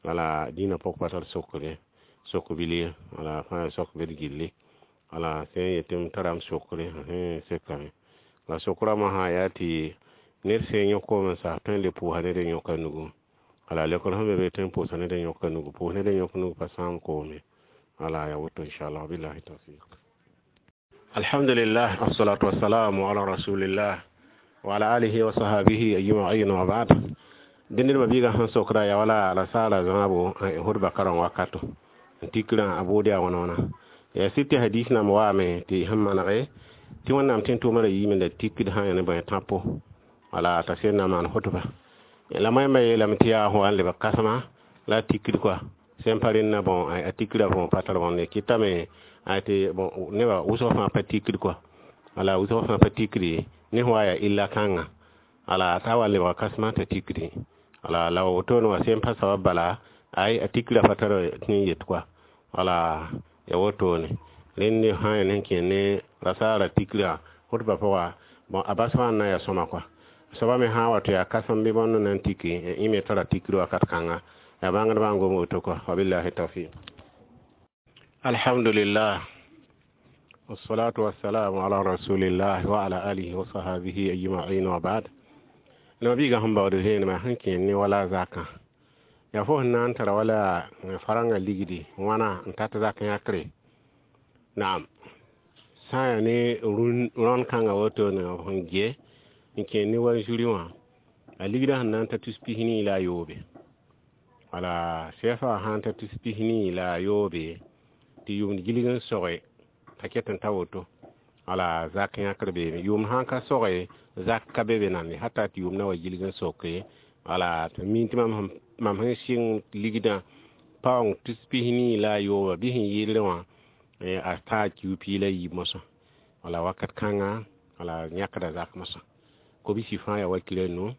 wala dĩinã pʋg pa tar sokre sok bil ye wala fãa sok bd gilli wala sẽn yetɩ m tara m sokre sekame la sokraã mosã yaa tɩ ned sẽn yõk koom n sas tõe n le pʋʋsa ned n yõka nugu wala lekr sẽn be be tõe n pʋʋsa ned n yõka nugu pʋʋs ned n yõk nug pa sãam koome wala ya woto inchallah billahi tawfiq alhamdulillah wassalatu wassalamu ala rasulillah wa ala alihi wa sahabihi ajma'in wa ba'd dẽnd mabiiga sẽn sokda ya wala la saala zãabo hudba kareng wakato n tikrã a bʋʋd yaa wãna wãna ya sɩd tɩ hadis nam waame tɩ sẽn manege tɩ wẽnnaam tẽn tʋʋmã ra yiime la tikd sã n yã ne bõe tãpo wala t'a sẽn na maan hʋtba la moẽmbã yeelame tɩ yaa sẽn wa n lebg kãsema la a tikd kɔa sẽn pa rẽnna bõn a tikrã bõn pa tar bõnde kɩtame tɩ bon nebã wʋsg fãa pa tikd kɔa wala wʋsg fãa pa tikdi ne sẽn wa yaa illa kãnga wala t'a wa lebga kãsema t'a tikdi wala la wotone wã sẽn pa sabab bala ay a tikrã pa tar tɩ n yet kɔa wala ya wotone Rẽnd sã n yaa kẽ ne rasaara tikrã khutba pʋga, bon, a bas wã n na yaa sõma kɔa. Soaba me sã n wa tɩ yaa kãsem bɩ bõnd n na n tiki, yẽ me tara tikr wakat kãnga. Yaa bãngdbã n gom woto kɔa. Wabillahi tawfiq. Alhamdulillah, wassalatu wassalamu ala rasulillah wa ala alihi wa sahabihi ajma'in wa ba'd. Nabiga sẽn baood vẽenemã sẽn kẽ ne wala zakã, yaa fo sẽn na n tara wala farãngã ligdi wãna n tat zak yãkre. Naam, sã n yaa ne rõnd kãngã wotone sẽn ge n kẽ ne wa zuri wã, a ligdã sẽn na n ta tus pis nii la a yoobe. Wala C F A sã n ta tus pis nii la a yoobe, tɩ yʋʋmd gilg n soge t'a ket n ta woto, wala zak yãkr beeme. Yʋʋmd sã n ka soge, zak ka be be nande hata tɩ yʋʋmdã wa gilg n soke. Wala tɩ mi tɩ mam sẽn sɩng ligdã paoong tus pis nii la a yooba bɩ sẽn yɩɩdrẽ wã, a taa kiu pii la yiib mosã. Wala wakat kãnga, wala yãkda zak mosã kobsi fãa yaa wakir a nu,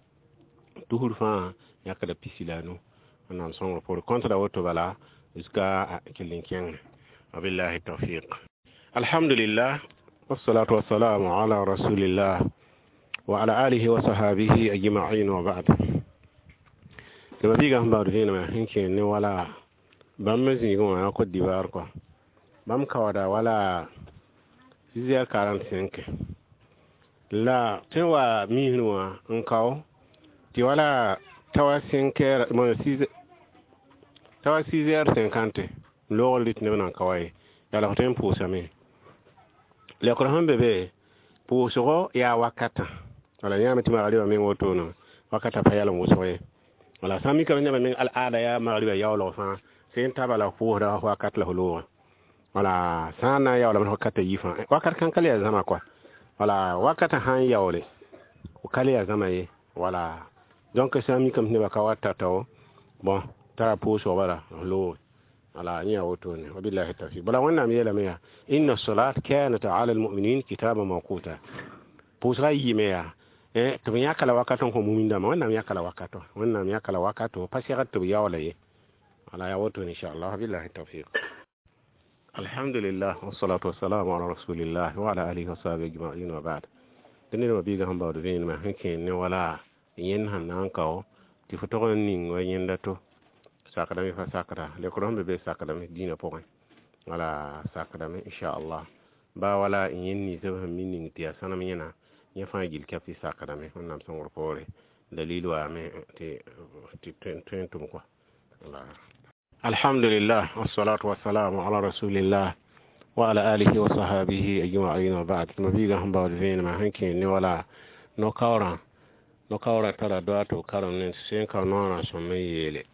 tusr fãa yãkda pisi la a nu. Wẽnnaam sõngr poore kõntda woto bala jusqu'à kell n kẽngẽ. Wabillahi tawfiq. Alhamdulillah, wassalatu wassalamu ala rasulillah wa ala alihi wa sahabihi ajma'in wa ba'd. Tɩ mabiigã sẽn baood vẽenemã sẽn kẽ ne wala bãmb me zĩigẽ wã yaa Côte d'Ivoire kɔa. Bãmb kaooda wala six heures quarante-cinq la tõe n wa misrẽ wã n kao tɩ wala ta wa cinq heures, ta wa six heures cinquante loogr rɩt neb nan ka wa ye. Yaa la f tõe n pʋʋsame. Leokr sẽn be be, pʋʋsgo yaa wakatã. Wala yãame tɩ magriba meng wotone wakatã pa yalem wʋsg ye. Wala sã n mikame nebã meng al-aada yaa magriba yaoolg fãa sẽn ta bala pʋʋsda wakat la f loogẽ. Wala sã n na n yaoolame wakatã yi fãa, wakat kãn ka le yaa zãma kɔa. Wala wakatã sã n yaoole, ka le yaa zãma ye. Wala donc sã n mikame tɩ nebã ka wa tao, bon, tara pʋʋsg bala f looge. Wala yẽ yaa wotone. Wabillahi tawfiq. Bala Wẽnnaam yeelame yaa: inna salat kanat ala almuminin kitaban mawquta. Pʋʋsga yiime yaa tɩ b yãka la wakat n kõ mumin dãmbã. Wẽnnaam yãka la wakato, Wẽnnaam yãka la wakato, pa segd tɩ b yaoola ye. Wala yaa wotone, inchallah. Wabillahi tawfiq. Alhamdulillah, wassalatu wassalamu ala rasulillah wa ala alihi wa sahbihi ajma'in wa ba'd. Tɩ ned mabiigã sẽn baood vẽenemã sẽn kẽ ne wala yẽnd sẽn na n kao tɩ fo tog n ning wa yẽnda to sakdame fa sakda lekr sẽn be be sakdame dĩinã pʋgẽ. Wala sakdame, inchallah. Ba wala yẽnd ninsb sẽn mi ning tɩ yaa sãnem yẽna, yẽ fãa gill kɛp tɩ sakdame. Wẽnnaam sõngr poore dalil waame tɩ tõe n tʋm kɔa. Wala alhamdulillah, wassalatu wassalamu ala rasulillah wa ala alihi wa sahabihi ajma'in wa ba'd. Mabiigã sẽn baood vẽenemã sẽn kẽ ne wala no-kaoorã, no-kaoorã tara doa tɩ b karem ne sẽn ka noorã sõm n yeele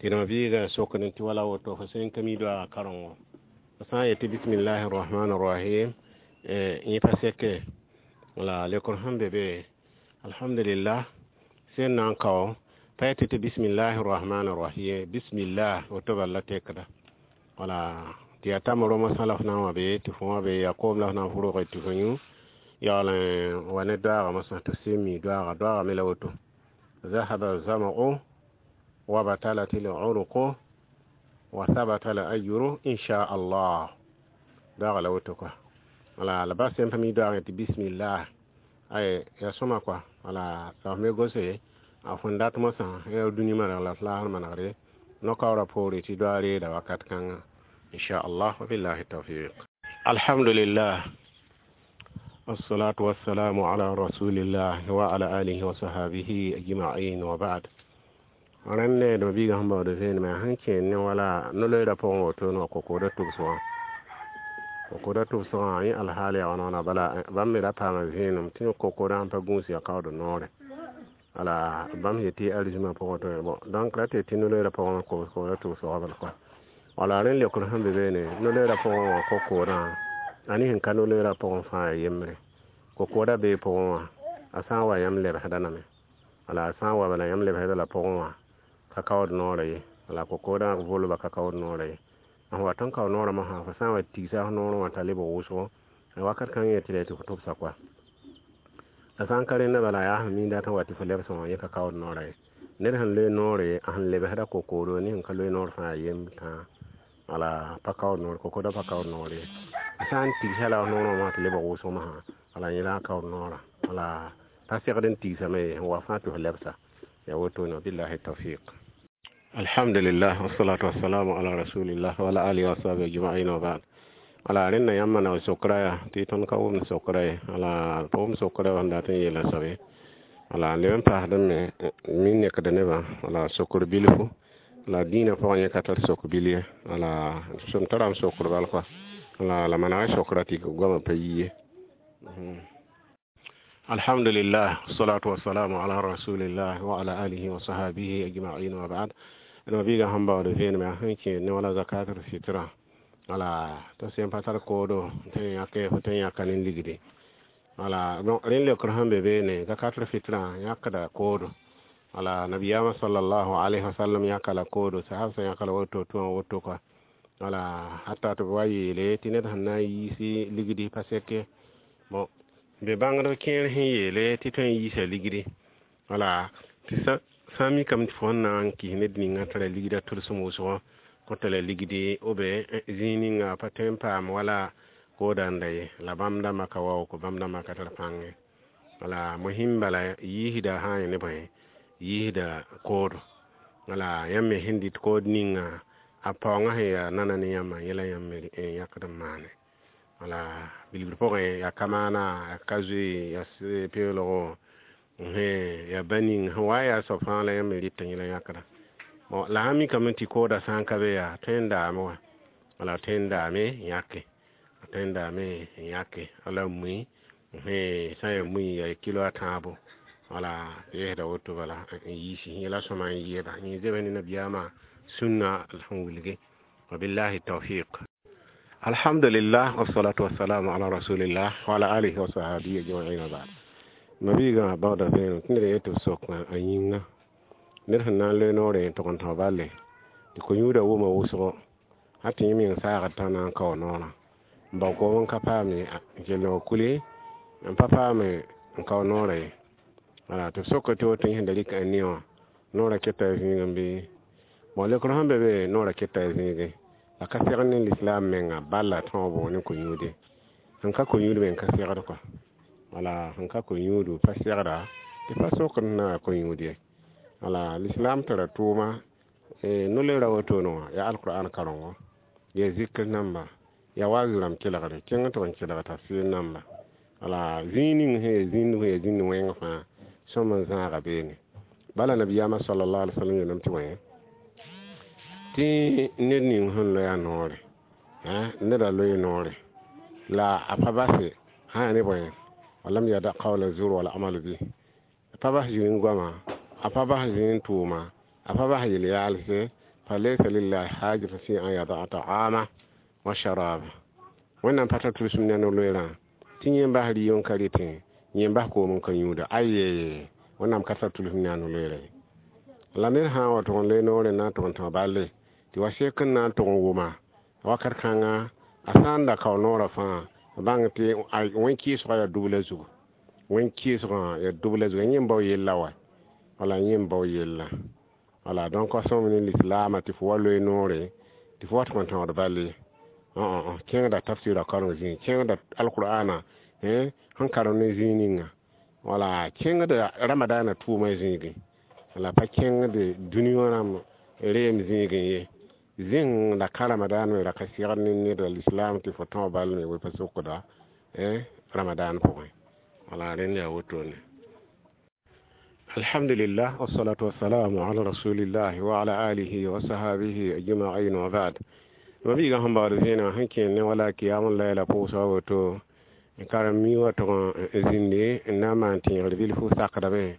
tɩ mabiigã sokd tɩ wala woto fo sẽn ka mi doaagã karengo, fo sã n yetɩ bismillahi rrahmani rrahim, yẽ pa seke? Wala lekr sẽn be be, alhamdulillah, sẽn na n kao pa yetɩ tɩ bismillahi rrahmani rrahim, bismillah woto bala la tekda. Wala tɩ yaa tam rõmã sã la f na n wa be tɩ fo wã be yaa koom la f na n fʋrge tɩ fo yũ yaool n wa ne doaaga mosã tɩ f sẽn mi doaaga. Doaaga me la woto: zahaba zama'u wa batalat al-uruqu wa thabata al-ajru insha Allah. Doaaga la woto kɔa. Wala la bas sẽn pa mi doaagẽ tɩ bismillah ay yaa sõma kɔa. Wala la f me gose a fõn dat mosã yaa dũni maneg la f laasr manegre no-kaoorã poore tɩ doa reeda wakat kãnga, insha Allah. Wabillahi tawfiq. Alhamdulillah, wassalatu wassalamu ala rasulillah wa ala alihi wa sahabihi ajma'in wa ba'd. Rẽnd d mabiigã sẽn baood vẽenemã sẽn kẽ ne wala no-loeerã pʋgẽ wotone wã, kokoodã tʋbsgã, kokoodã tʋbsgã yẽ alhaal yaa wãna wãna. Bala bãmb me ra paama vẽenem tɩ kokoodã sẽn pa gũus yaa kaood noore. Wala bãmb yetɩ arzimã pʋgẽ tɩ bon, donc ra tɩ tɩ no-loeerã pʋgẽ kokoodã tʋbsgã bala kɔa. Wala rẽnd leokr sẽn be beene, no-loeerã pʋgẽ wã kokoodã a ne sẽn ka no-loeerã pʋgẽ fãa ya yembre. Kokoodã bee pʋgẽ wã, a sã n wa yãmb lebsda name. Wala a sã n wa bala yãmb lebsda la pʋgẽ wã ka kaood noorã ye. Wala kokoodã volba ka kaood noorã ye. A wa tõn kao noorã mosã, fo sã n wa tigsa f noorẽ wã t'a lebg wʋsgo wakat kãng yetɩ la tɩ fo tʋbsa kɔa. La sã n ka rẽnda bala, yaa sẽn miinda tɩ wa tɩ fo lebsẽ wã, yẽ ka kaood noorã ye. Ned sẽn loe noore, a sẽn lebsda kokoodo ne sẽn ka loe noor fãa yemb tãa. Wala pa kaood noor, kokoodã pa kaood noor ye. sã n tigsa la noorã wã tɩ lebg wʋsg masã wala yẽ la a kaood noorã wala pa segd n tigsame ye sẽn wa fãa tɩ f lebsa ya wotone billahi tawfiq. Alhamdulillah, wassalatu wassalamu ala rasulillah wa ala alihi wa sahbihi ajma'in wa ba'd. Wala rẽnda yãmb maneg sokra yaa tɩ tõnd ka wʋmd sokra ye, wala pa wʋm sokra sẽn dat n yeela soab ye, wala leb n paasdẽ me mi nekd nebã wala sokr bilfu la dĩinã pʋgẽ yẽ ka tar sok bil ye, wala sẽn tarame sokr bal kɔa, wala la manega sokra tɩ goamã pa yi ye. Alhamdulillah, wassalatu wassalamu ala rasulillah wa ala alihi wa sahabihi ajma'in wa ba'd. D mabiigã sẽn baood vẽenemã sẽn kẽed ne wala zakatul fitra, wala tɩ sẽn pa tar koodo tɩ yãke fo tɩ n yãka ne ligdi, wala rẽnd leokr sẽn be beene zakatul fitra yãkda koodo, wala nabiyaamã sallallahu alayhi wa sallam yãka la koodo, sahab sã yãka la woto tɩ wã woto kɔa, wala hata tɩ b wa yeele tɩ ned sẽn na n yiisi ligdi pa seke. Bon, be bãngdb kẽer sẽn yeele tɩ tõe n yiisa ligdi, wala tɩ sã n mikame tɩ fo sẽn na n kɩs ned ninga tara ligda tʋlsem wʋsgo kõta la ligdi b zĩig ninga pa tõe n paam wala koodã n da ye, la bãmb dãmbã ka waoog, bãmb dãmbã ka tar pãng ye. Wala mosĩm bala yiisda sã n yẽ ne bõe yiisda koodo, wala yãmb me sẽn dɩt kood ninga a paoongã sẽn yaa nana ne yãmbã yẽla yãmb me yãkd n maane. Wala bilgr pʋgẽ yaa kamaana, yaa ka zoe, yaa peelgo, yaa ba ning sẽn wa n yaa soab fãa la yãmb me rɩta yẽla yãkda. Bon, la sã n mikame tɩ koodã sã n ka be yaa tõe n daame wã, wala tõe n daame yãke, tõe n daame yãke wala mui, sã n yaa mui yaa kilo a tãabo, wala tɩ yɛsda woto bala n yiisi yẽla sõma n yɩɩda yẽ zebs ne nabiyaamã sũnna sẽn wilge. Wabillahi tawfiq. Alhamdulillah, wassalatu wassalamu ala rasulillah wa ala alihi wa sahbihi ajma'in wa ba'd. Mabiigã baooda vẽenem tɩ ned yetɩ b sok a yĩnga ned sẽn na n loe noorẽ n tʋg n tão balle tɩ ko-yũudã wʋma wʋsgo hal tɩ yẽ meng saagd t'a na n kao noorã n bao koom n ka paame n kell n wa kuli n pa paame n kao noorã ye. Wala tɩ b soka tɩ woto yẽ sẽn da rɩk a ne wã noorã keta zĩigẽ bɩ bon leokr sẽn be be noorã keta zĩigẽ la ka segd ne lislaam menga bala tõobo ne ko-yũude sẽn ka ko-yũud me n ka segd kɔa, wala sẽn ka ko-yũudu pa segda tɩ pa sokd na ko-yũud ye. Wala lislaam tara tʋʋma no-loeera wotone wã yaa alqur'an karengo, yaa zikr namba, yaa wazu rãmb kelgre kẽng tɩ b n kelg tafsir namba, wala zĩig ning sẽn yaa zĩnd sẽn yaa zĩnd wẽng fãa sõm n zãaga beene. Bala nabiyaamã sallallahu alaihi wasallam yeelame tɩ wẽ tɩ ned ning sẽn loe a noore neda loe noore la a pa base sã yaa ne bõe walam yada qawla zur wala amalu bi, a pa bas zĩig goama, a pa bas zĩig tʋʋma, a pa bas yel-yaalse, fa laysa lillahi hajata fi an yadaa ta'ama wa sharaba. Wẽnnaam pa tar tʋlsem ne a no-loeerã tɩ yẽ bas rɩ n ka rɩtẽ, yẽ bas koom n ka yũuda, aye Wẽnnaam ka tar tʋlsem ne a no-loeerã ye. La ned sã n wa tʋg n loe noorẽ n na n tʋg n tão balle tɩ wa sek n na n tʋg n wʋma wakat kãnga a sã n da kao noorã fãa bãng tɩ wẽn-kɩɩsgã yaa dubla zugu, wẽn-kɩɩsgã yaa dubla zugu, yẽ n bao yella wa, wala yẽ n bao yella. Wala donc a sõm ne lislaamã tɩ fo wa loe noore tɩ fo wa tʋg n tãood bal ye, kẽngda tafsɩra kareng zĩig, kẽngda alqur'ana sẽn karem ne zĩig ninga, wala kẽngda ramadaana tʋʋmã zĩigẽ, wala pa kẽngd dũni wã rãmb reem zĩigẽ ye. Zĩng la ka ramadan me ra ka segd ne ned lislaam tɩ fo tão bal me we pa sokda ramadan pʋgẽ, wala rẽnd yaa wotone. Alhamdulillah, wassalatu wassalamu ala rasulillah wa ala alihi wa sahabihi ajma'in wa ba'd. Mabiigã sẽn baood vẽenegã sẽn kẽer ne wala kiyam layla pʋʋsga woto n karem mi wa tʋg n zĩndi n na n maan tẽegr bilfu sakdame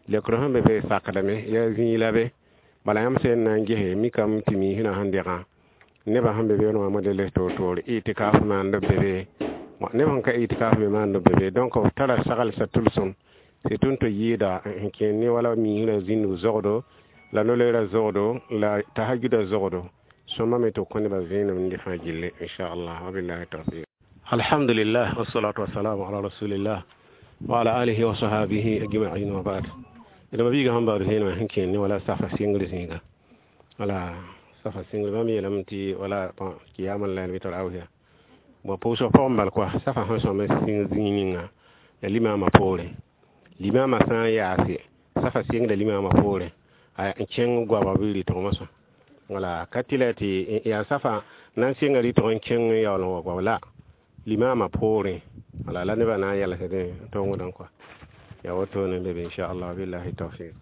leokr sẽn be be sakdame yaa zĩig la be bala yãmb sẽn na n gese mikame tɩ miisrã sẽn degã nebã sẽn be beene wã modeles toor-toor itikaf maand b be be neb sẽn ka itikaf me maand b be be donc b tara saglsa tʋlsem tɩ tõnd tɩ yɩɩda n kẽer ne wala miisrã zĩndg zogdo la no-loeerã zogdo la tahajuda zogdo sõma me tɩ b kõ nebã vẽenem n dɩ fãa gilli inchallah wabillahi tawfiq. Alhamdulillah, wassalatu wassalamu ala rasulillah wa ala alihi wa sahabihi ajma'in wa ba'd. D mabiigã sẽn baood vẽenemã sẽn kẽer ne wala safa sɩngr zĩiga, wala safa sɩngr bãmb yeelame tɩ wala kiyam layl bɩ tarawihã Bon pʋʋsg pʋgẽ bal kɔa safa sẽn sõm n sɩng zĩig ninga la limaamã poorẽ limaamã sã n yaase safa sɩngda limaamã poorẽ n kẽng goamã bɩ rɩtg mosã wala ka tɩ la tɩ yaa safa na n sɩnga rɩtg n kẽng n yaool n wa goam la limaamã poorẽ wala la nebã na n yɛlsdẽ tongdẽ kɔa ya wotone be be inchallah billahi tawfiq.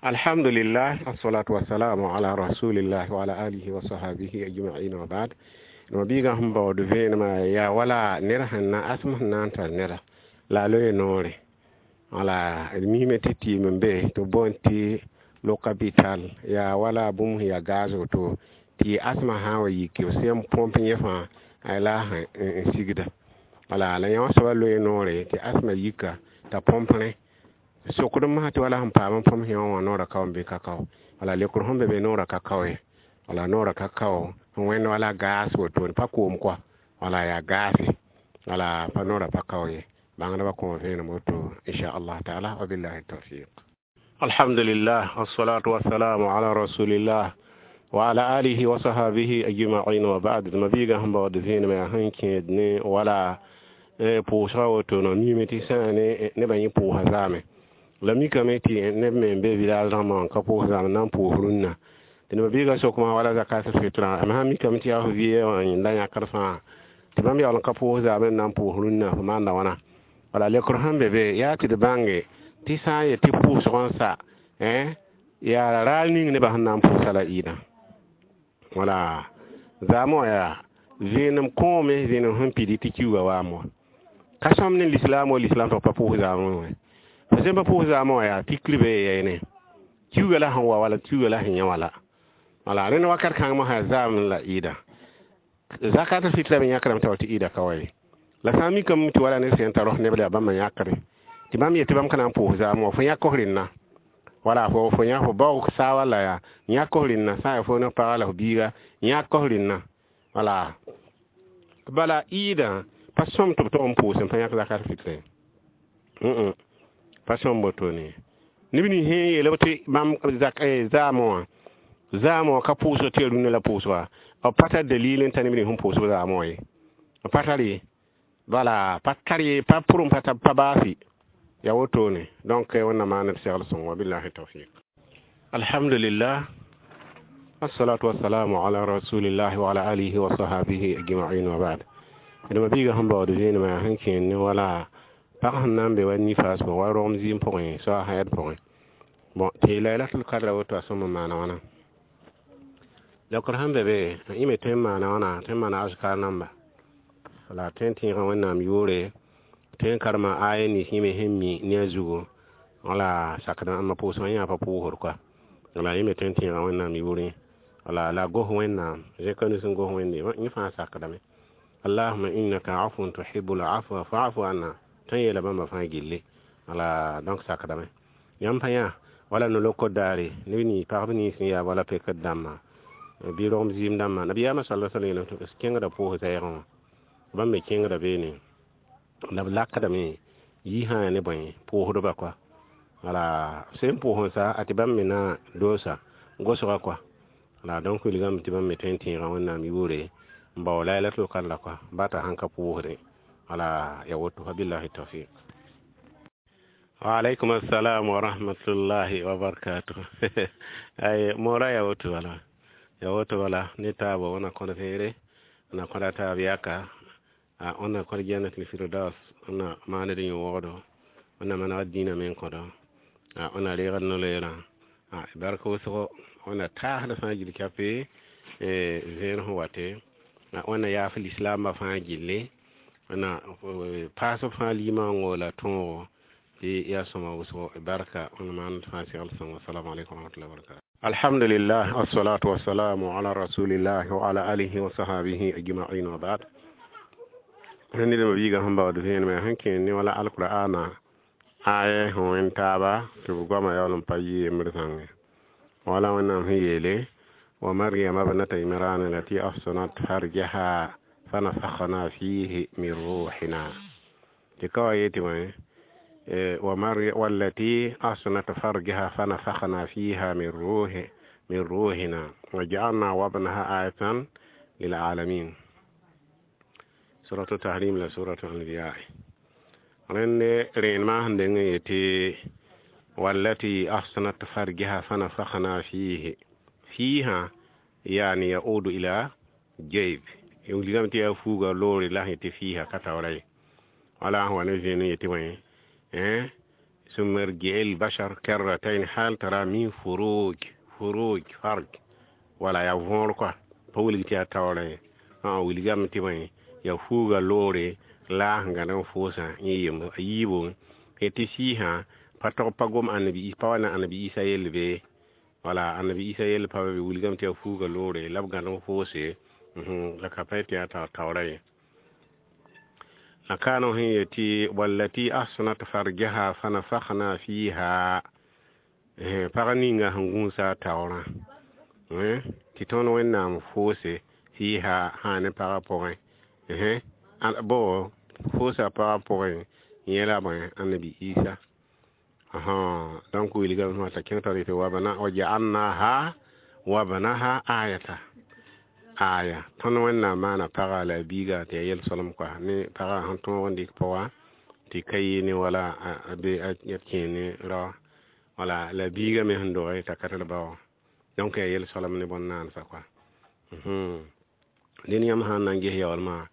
Alhamdulillah, assalatu wassalamu ala rasulillah wa ala alihi wa sahbihi ajma'in wa ba'd. No biiga sẽn baood vẽenemã yaa wala ned sẽn na asem sẽn na n tar neda la a loe noore wala d misme tɩ tɩɩm n be tɩ b boond tɩ lo capital yaa wala bũmb sẽn yaa gaz woto tɩ asmã sã n wa yiki b sẽn põmp yẽ fãa la n sigda wala la yã soaba loe noore tɩ asmã yika t'a põmp rẽ sokd masã tɩ wala sẽn paam n põmp yẽ wã noorã ka n bɩ ka kao wala lekr sẽn be be noorã ka kao ye wala noorã ka kao n wẽnd wala gas woto pa koom kɔa wala yaa gaase wala pa noorã pa kao ye bãngdbã kõ vẽenem woto inchallah taala wa billahi tawfiq. Alhamdulillah, wassalatu wassalamu ala rasulillah wa ala alihi wa sahbihi ajma'in wa ba'd. Mabiiga sẽn baood vẽenem yaa sẽn kẽed ne wala pʋʋsga woto no mime tɩ sã ne nebã yẽ pʋʋsa zaame la mikame tɩ neb me n be village rãmbã wã ka pʋʋs zaame na n pʋʋs rũnnã tɩ neb biiga sokmã wala zakat fitra m sã mikame tɩ yaa f vɩ wã yẽnda yãkd fãa tɩ bãmb yaool n ka pʋʋs zaame n na n pʋʋs rũnnã f maanda wãna wala lekr sẽn be be yaa tɩ d bãnge tɩ sã n yet tɩ pʋʋsg n sa yaa raal ning nebã sẽn na n pʋʋsa la ɩɩdã wala zaamã wã yaa vẽenem kõome vẽenem sẽn pidi tɩ kiuugã waam wã ka sõm ne lislaam wa lislaam tɩ pa pʋʋs zaamẽ wã fo sẽn pa pʋʋs zaamẽ wã yaa tikr be yɛɛne kiuugã la sẽn wa wala kiuugã la sẽn yã wala wala rẽnd wakat kãng mosã zaam la ɩɩda zakat fitra me yãkrame t'a wa tɩ ɩɩda ka wa ye la sã n mikame tɩ wala ne sẽn tar neb la yaa bãmba yãkre tɩ bãmb yetɩ bãmb ka na n pʋʋs zaam wã fo yãk f rẽnna wala fo fo yã fo baoog saa walla yaa yãk f rẽnna sã n yaa fo ne paga la f biiga yãk f rẽnna wala bala ɩɩdã pa sõm tɩ b tog n pʋʋs n pa yãk zakat fitrẽ pa sõm wotone neb nins sẽn yeel b tɩ bãmb zaamẽ wã zaamẽ wã ka pʋʋsg tɩ ya rũnnã la pʋʋsga b pa tar dalil n ta neb nins sẽn pʋʋsb zaamẽ wã ye b pa tar ye bala pa tar ye pa pʋrem pa pa baasi ya wotone donc wẽnnaam maan d segl sõng wa billahi tawfiq. Alhamdulillah, assalatu wassalamu ala rasulillah wa ala alihi wa sahbihi ajma'in wa ba'd. D ma biiga sẽn baood vẽenemã yaa sẽn kẽen ne wala pag sẽn na n be wa nifas pʋgẽ wa rogem zɩɩm pʋgẽ soa hayad pʋgẽ bon tɩ laylatul kadra woto a sõm n maana wãna lekr sẽn be be yẽ me tõe n maana wãna tõe n maana azkar namba la tõe n tẽegã wẽnnaam yʋʋre tõe n karema aya nins yẽ me sẽn mi ne a zugu wala sakd ãmba pʋʋsgã yã pa pʋʋsd kɔa wala yẽ me tõe n tẽegã wẽnnaam yʋʋre wala la gos wẽnnaam zẽka nus n gos wẽnde yẽ fãa sakdame allahuma innaka afun tuhibbul afwa fa'fu anna tõe n yeela bãmba fãa gilli wala donc sakdame yãmb pa yã wala no-lokd daare neb nins pagb nins sẽn yaa wala pekd dãmbã bɩ rogem zɩɩm dãmbã nabiyaamã sala sallam yeelame tɩ kẽngda pʋʋs zɛɛgẽ wã bãmb me kẽngda beene la b lakdame yɩ sã yaa ne bõe pʋʋsdba kɔa wala sẽn pʋʋs n sa a tɩ bãmb me na doosa gosga kɔa la donc wilgame tɩ bãmb me tõe n tẽegã wẽnnaam yʋʋre n bao laylatul kadra kɔa ba t'a sãn ka pʋʋsdẽ wala ya woto fa billahi tawfiq. Wa alaikum assalam wa rahmatullahi wa barakatuh. Ay mora ya woto wala ya woto wala ne taabo wona kono feere ona koda taab yaka a ona koda jannatul firdaus ona manede yõ wogdo ona maneg dĩinã men kõdo a ona reegd no-loeerã a barka wʋsgo ona taasd fãa gil kape vẽen sẽn wate ona yaaf lislaambã fãa gilli ona paasb fãa limaango la tõogo tɩ yaa sõma wʋsgo barka ona maand fãa segl sõngo. Assalamu alaikum warahmatullahi wabarakatuh. Alhamdulillah, assalatu wassalamu ala rasulillah wa ala alihi wa sahbihi ajma'in wa ba'd. Ned biiga sẽn baood vẽenemã sẽn kẽen ne wala alqur'ana aya sẽn wẽn taaba tɩ b goamã yaool n pa yɩ yembr zãnge wala wẽnnaam sẽn yeele wa maryama bnata imran allati ahsanat farjaha fanafakhna fihi min ruhina tɩ ka wa yetɩ wã ومري والتي أحصنت فرجها فنفخنا فيها من روح من روحنا وجعلنا وابنها آية للعالمين. Suratu Tahrim la suratu Anbiya. Rẽnd rẽenemã sẽn deng n yetɩ wallati ahsanat farjaha fanafakhna fihi fiha yani yaudu ila jayb wilgame tɩ yaa fuuga loore la sẽn yetɩ fiha ka taoora ye wala sẽn wa ne zẽen n yetɩ bõe ثم ارجع البشر كرتين هل ترى من فروج فروج farj wala yaa võor kɔa pa wilg tɩ yaa taoorã ye wilgame tɩ bõe yaa fuuga loore la sẽn gãd n foosã yẽ yemb a yiibu tɩ fiisã pa tog pa gom annabi pa wa ne annabi Isa yell be wala annabi Isa yell pa be wilgame tɩ yaa fuuga loore la b gãd n foose la ka pa tɩ yaa taoorã ye la kaano sẽn yetɩ wallati ahsanat farjaha fanafakhna fiha pag ninga sẽn gũusa a taoorã tɩ tõnd Wẽnnaam foose fiha sã ne pagã pʋgẽ bo foosa pagã pʋgẽ yẽ la bõe annabi Isa donc wilgame t'a kẽng taoor yetɩ waja'alnaha wabnaha ayata aya tõnd Wẽnnaam maana pagã la a biiga tɩ yaa yel-solem kɔa ne pagã sẽn tõog n dɩk pʋga tɩ ka yɩ ne wala a be a kẽ ne raoã wala la biiga me sẽn doge t'a ka tar ba wã donc yaa yel-solem ne bõn-naansã kɔa dẽn yãmb sã n na n ges yaoolmã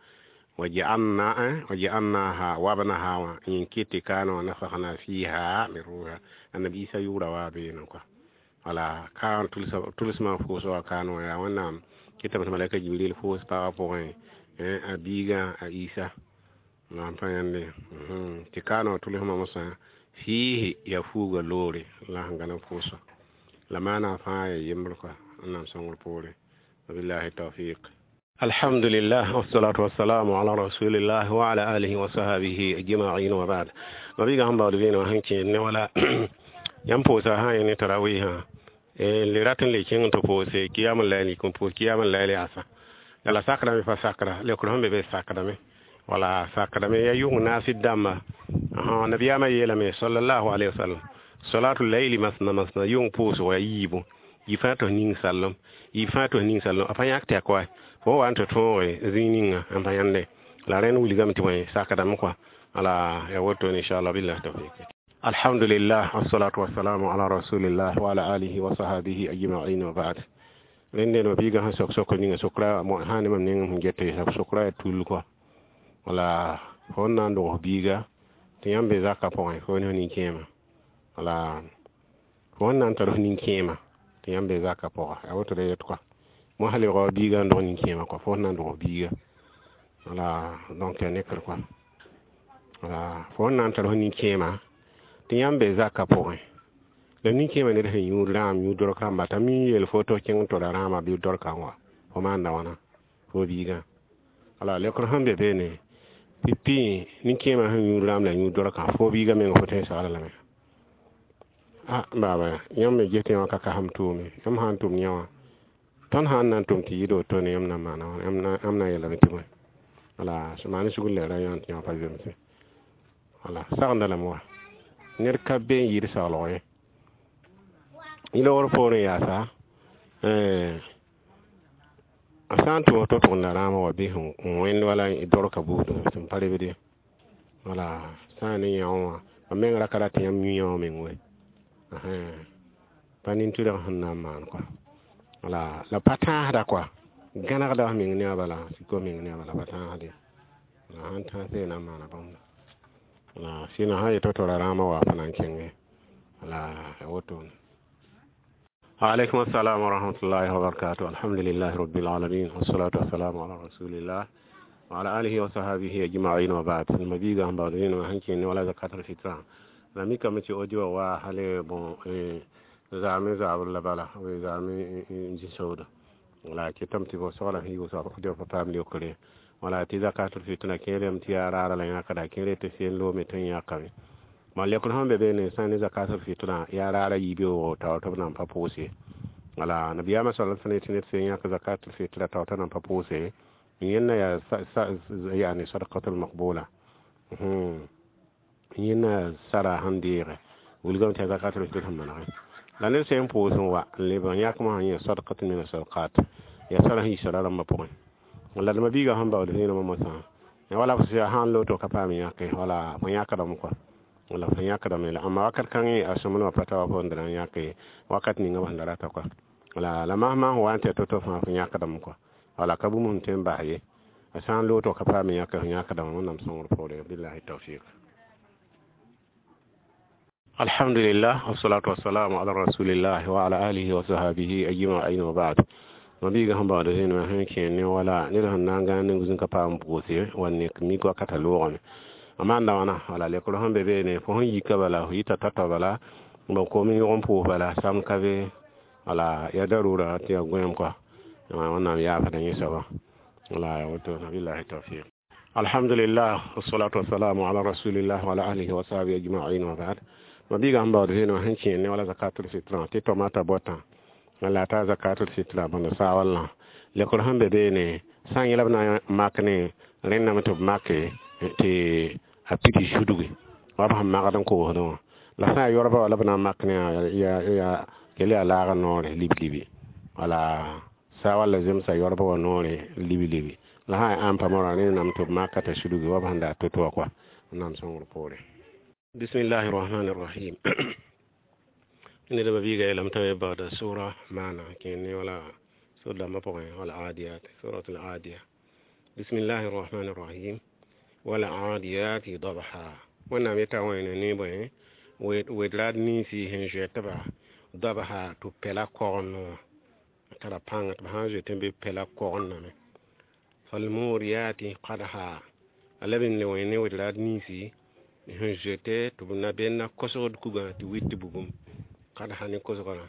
waja'alna waja'alnaha wabnaha wã yẽ kɩt tɩ kaana wã nafakhna fiha min ruha annabi Isa yʋʋra wa beene kɔa wala ka tʋlsmã foos wa kaana wã yaa Wẽnnaam kɩtame tɩ malɛka Jibril foos pagã pʋgẽ a biigã a Isa la n pa yãnde tɩ kaana wã tʋlsmã mosã fiihi yaa fuuga loore la sẽn gãd n foosã la maana fãa yaa yembr kɔa Wẽnnaam sõngr poore wabillahi tawfiq. Alhamdulillah wassalatu wassalamu ala rasulillah wa ala alihi wa sahbihi ajma'in wa ba'd. Mabiga sẽn baood vẽenemã sẽn kẽed ne wala yãmb pʋʋsa sã n ne tarawihã le rat n le kẽng tɩ pʋʋse kiyam layli kõ pʋʋs kiyam layli asa la sakrame pa sakra lekr sẽn be be sakrame wala sakrame ya yʋng naasd dãmba nabiyaamã yeelame sallallahu alaihi wasallam salatu layli masna masna yʋng pʋʋsg ya yiibu yɩ fãa tɩ f ning sallem yɩ fãa tɩ f ning sallem a pa yãk tɛk wa fo wa n tɩ tõoge zĩig ninga n pa yãnde la rẽnd wilgame tɩ bõe sakdame kɔa wala ya woto inchallah billah tawfik. Alhamdulillah wassalatu wassalamu ala rasulillah wa ala alihi wa sahbihi ajma'in wa ba'd. Rẽnde no biiga sẽn sok sok ninga sokra sã ne mam neng sẽn gete sokra yaa tul kɔa wala fo n na n dogs biiga tɩ yãmb be zakã pʋgẽ fo ne f nin-kẽema wala fo n na n tar f nin-kẽema tɩ yãmb be zakã pʋga yaa woto ra yet kɔa mosã lebga wa biiga n dog nin-kẽema kɔa fo n na n dogs biiga wala donc yaa nekr kɔa wala fo n na n tar f nin-kẽema tɩ yãmb be zakã pʋgẽ la nin-kẽemã ned sẽn yũud rãam yũ dork rãmba t'a mi yeel fo tɩ f kẽng n tola rãamã bɩ dorkã wa fo maanda wãna fo biigã wala lekr sẽn be beene pipi nin-kẽemã sẽn yũud rãam la yũud dorkã fo biigã meng fo tõe n sagla lame a baaba yãmb me ges tɩ yã ka kasem tʋʋme yãmb sã n tʋm yã wã tõnd sã n na n tʋm tɩ yɩɩd wotone yãmb na n maana wãna yãmb na n yeelame tɩ bõe wala maan sugr la ra yã tɩ yã pa zemse wala sagenda lame wa ned ka be n yɩɩd saglg ye yẽ loogr poorẽ yaasa a sã n tʋm tɩ tʋgenda rãamã wa bɩ n wẽnd wala dorka buudã sẽn pa rebd ye wala sã n ne yã wã mam meng ra ka rat tɩ yãmb yũ yã wã meng we pa nin-tʋrg sẽn na n maan kɔa wala la pa tãasda kɔa gãnegda f meng ne a bala siko meng ne a bala pa tãasde la sãn tãase na n maana bãmba wala sɩna sã yetɩ tora rãamã wa pa na n kẽnge wala ya wotone. وعليكم السلام ورحمة الله وبركاته. الحمد لله رب العالمين والصلاة والسلام على رسول الله وعلى آله وصحبه أجمعين وبعد. المبيغا هم بعدين وهنكين ولا زكاة الفطرة la mi kame tɩ audio wa hale bon zaame zabr la bala zaame n zĩ sooda wala kɩtame tɩ soglã sẽn yʋʋs audio pa paam leokre wala tɩ zakatul fitra kẽerame tɩ yaa raara la yãkda kẽere tɩ sen loome tɩ n yãkame ma lekr sẽn be beene sã ne zakatul fitra yaa raara yiib-yooogo taoor tɩ b nan pa pʋʋse wala nabiyaamã sal sẽn tɩ ned sẽn yãk zakatul fitra taoor t'a nan pa pʋʋse yẽnna yaa yani sadaqatul maqbula yẽnna sara sẽn deege wilgame tɩ yaa zakatul fitr sẽn manege la ned sẽn pʋʋs n wa n leb n yãkmã sẽn yẽ sadaqatun min sadaqat yaa sara sẽn yi sara rãmbã pʋgẽ la d mabiigã sẽn baood vẽenemã mosã Wala fo sãn loto ka paam yãke, wala fo yãkdame kɔa, wala fo yãkdame la. Amma wakat kãngẽ a sõmblmã pa ta wa fo sẽn da na n yãke wakat ninga b sẽn da rata kɔa. Wala la masmã sẽn wa n tɩ to-to fãa fo yãkdame kɔa, wala ka bũmb sẽn tõe n bas ye. A sã n lootg ka paam yãke, fo yãkdame. Wẽnnaam sõngr poore. Billahi tawfik. Alhamdulillah, wassalatu wassalamu ala rasulillah wa ala alihi wa sahbihi ajma'in wa ba'd. Mabiiga sẽn baood zĩnã sẽn kẽ ne wala ned sẽn na n gãan ne zĩn ka paam pʋʋse wa nek mik wakata loogame a maanda wãna. Wala lekr sẽn be beene, fo sẽn yika bala, fo yita tao-tao bala, b kom yõg n pʋʋs bala sam ka be, wala ya darura tɩ ya gõeem kɔa. Wẽnnaam yaafda yẽ soaba, wala ya woto. Billahi tawfiq. Alhamdulillah, wassalatu wassalamu ala rasulillah wa ala alihi wa sahbihi ajma'in wa ba'd. Mabiiga sẽn baood zĩnã sẽn kẽ ne wala zakatul fitra tɩ tomata bɔtã la ta zakatul fitra bõnd saawallã lekr sẽn be beene, sã n yẽla b na n mak ne rẽndame tɩ b make tɩ a pidi zudgi wa b sẽn magd n koosdẽ wã, la sã n yaa yoabã wã la b na n mak ne yaa kell yaa laagã noore liblibi, wala saa walla zemsa yoabã wã noore liblibi, la sã n yaa ãmpa moarã rẽndame tɩ b maka t'a sudgi wa b sẽn da to-to wã kɔa. Wẽnnaam sõngr poore. Bismillahi rahmani rahim. Ned ba biiga yeelame t'a me baooda sʋra maana kẽ ne wala sor dãmbã pʋgẽ, wala adiyat, suratul adiya. Bismillahi rahmani rahim. Wala adiyati dabha. Wẽnnaam yeta wẽne ne bõe wed raad ninsi sẽn zoɛtba dabha tɩ b pɛla kogend wã tara pãnga tɩ b sã n zoet n be pɛla kogendame. Falmuriyati qadha. A leb n le wẽ ne wed raad ninsi sẽn zoete tɩ b na benda kosgd kugã tɩ wit bugum kadha ne kosgrã.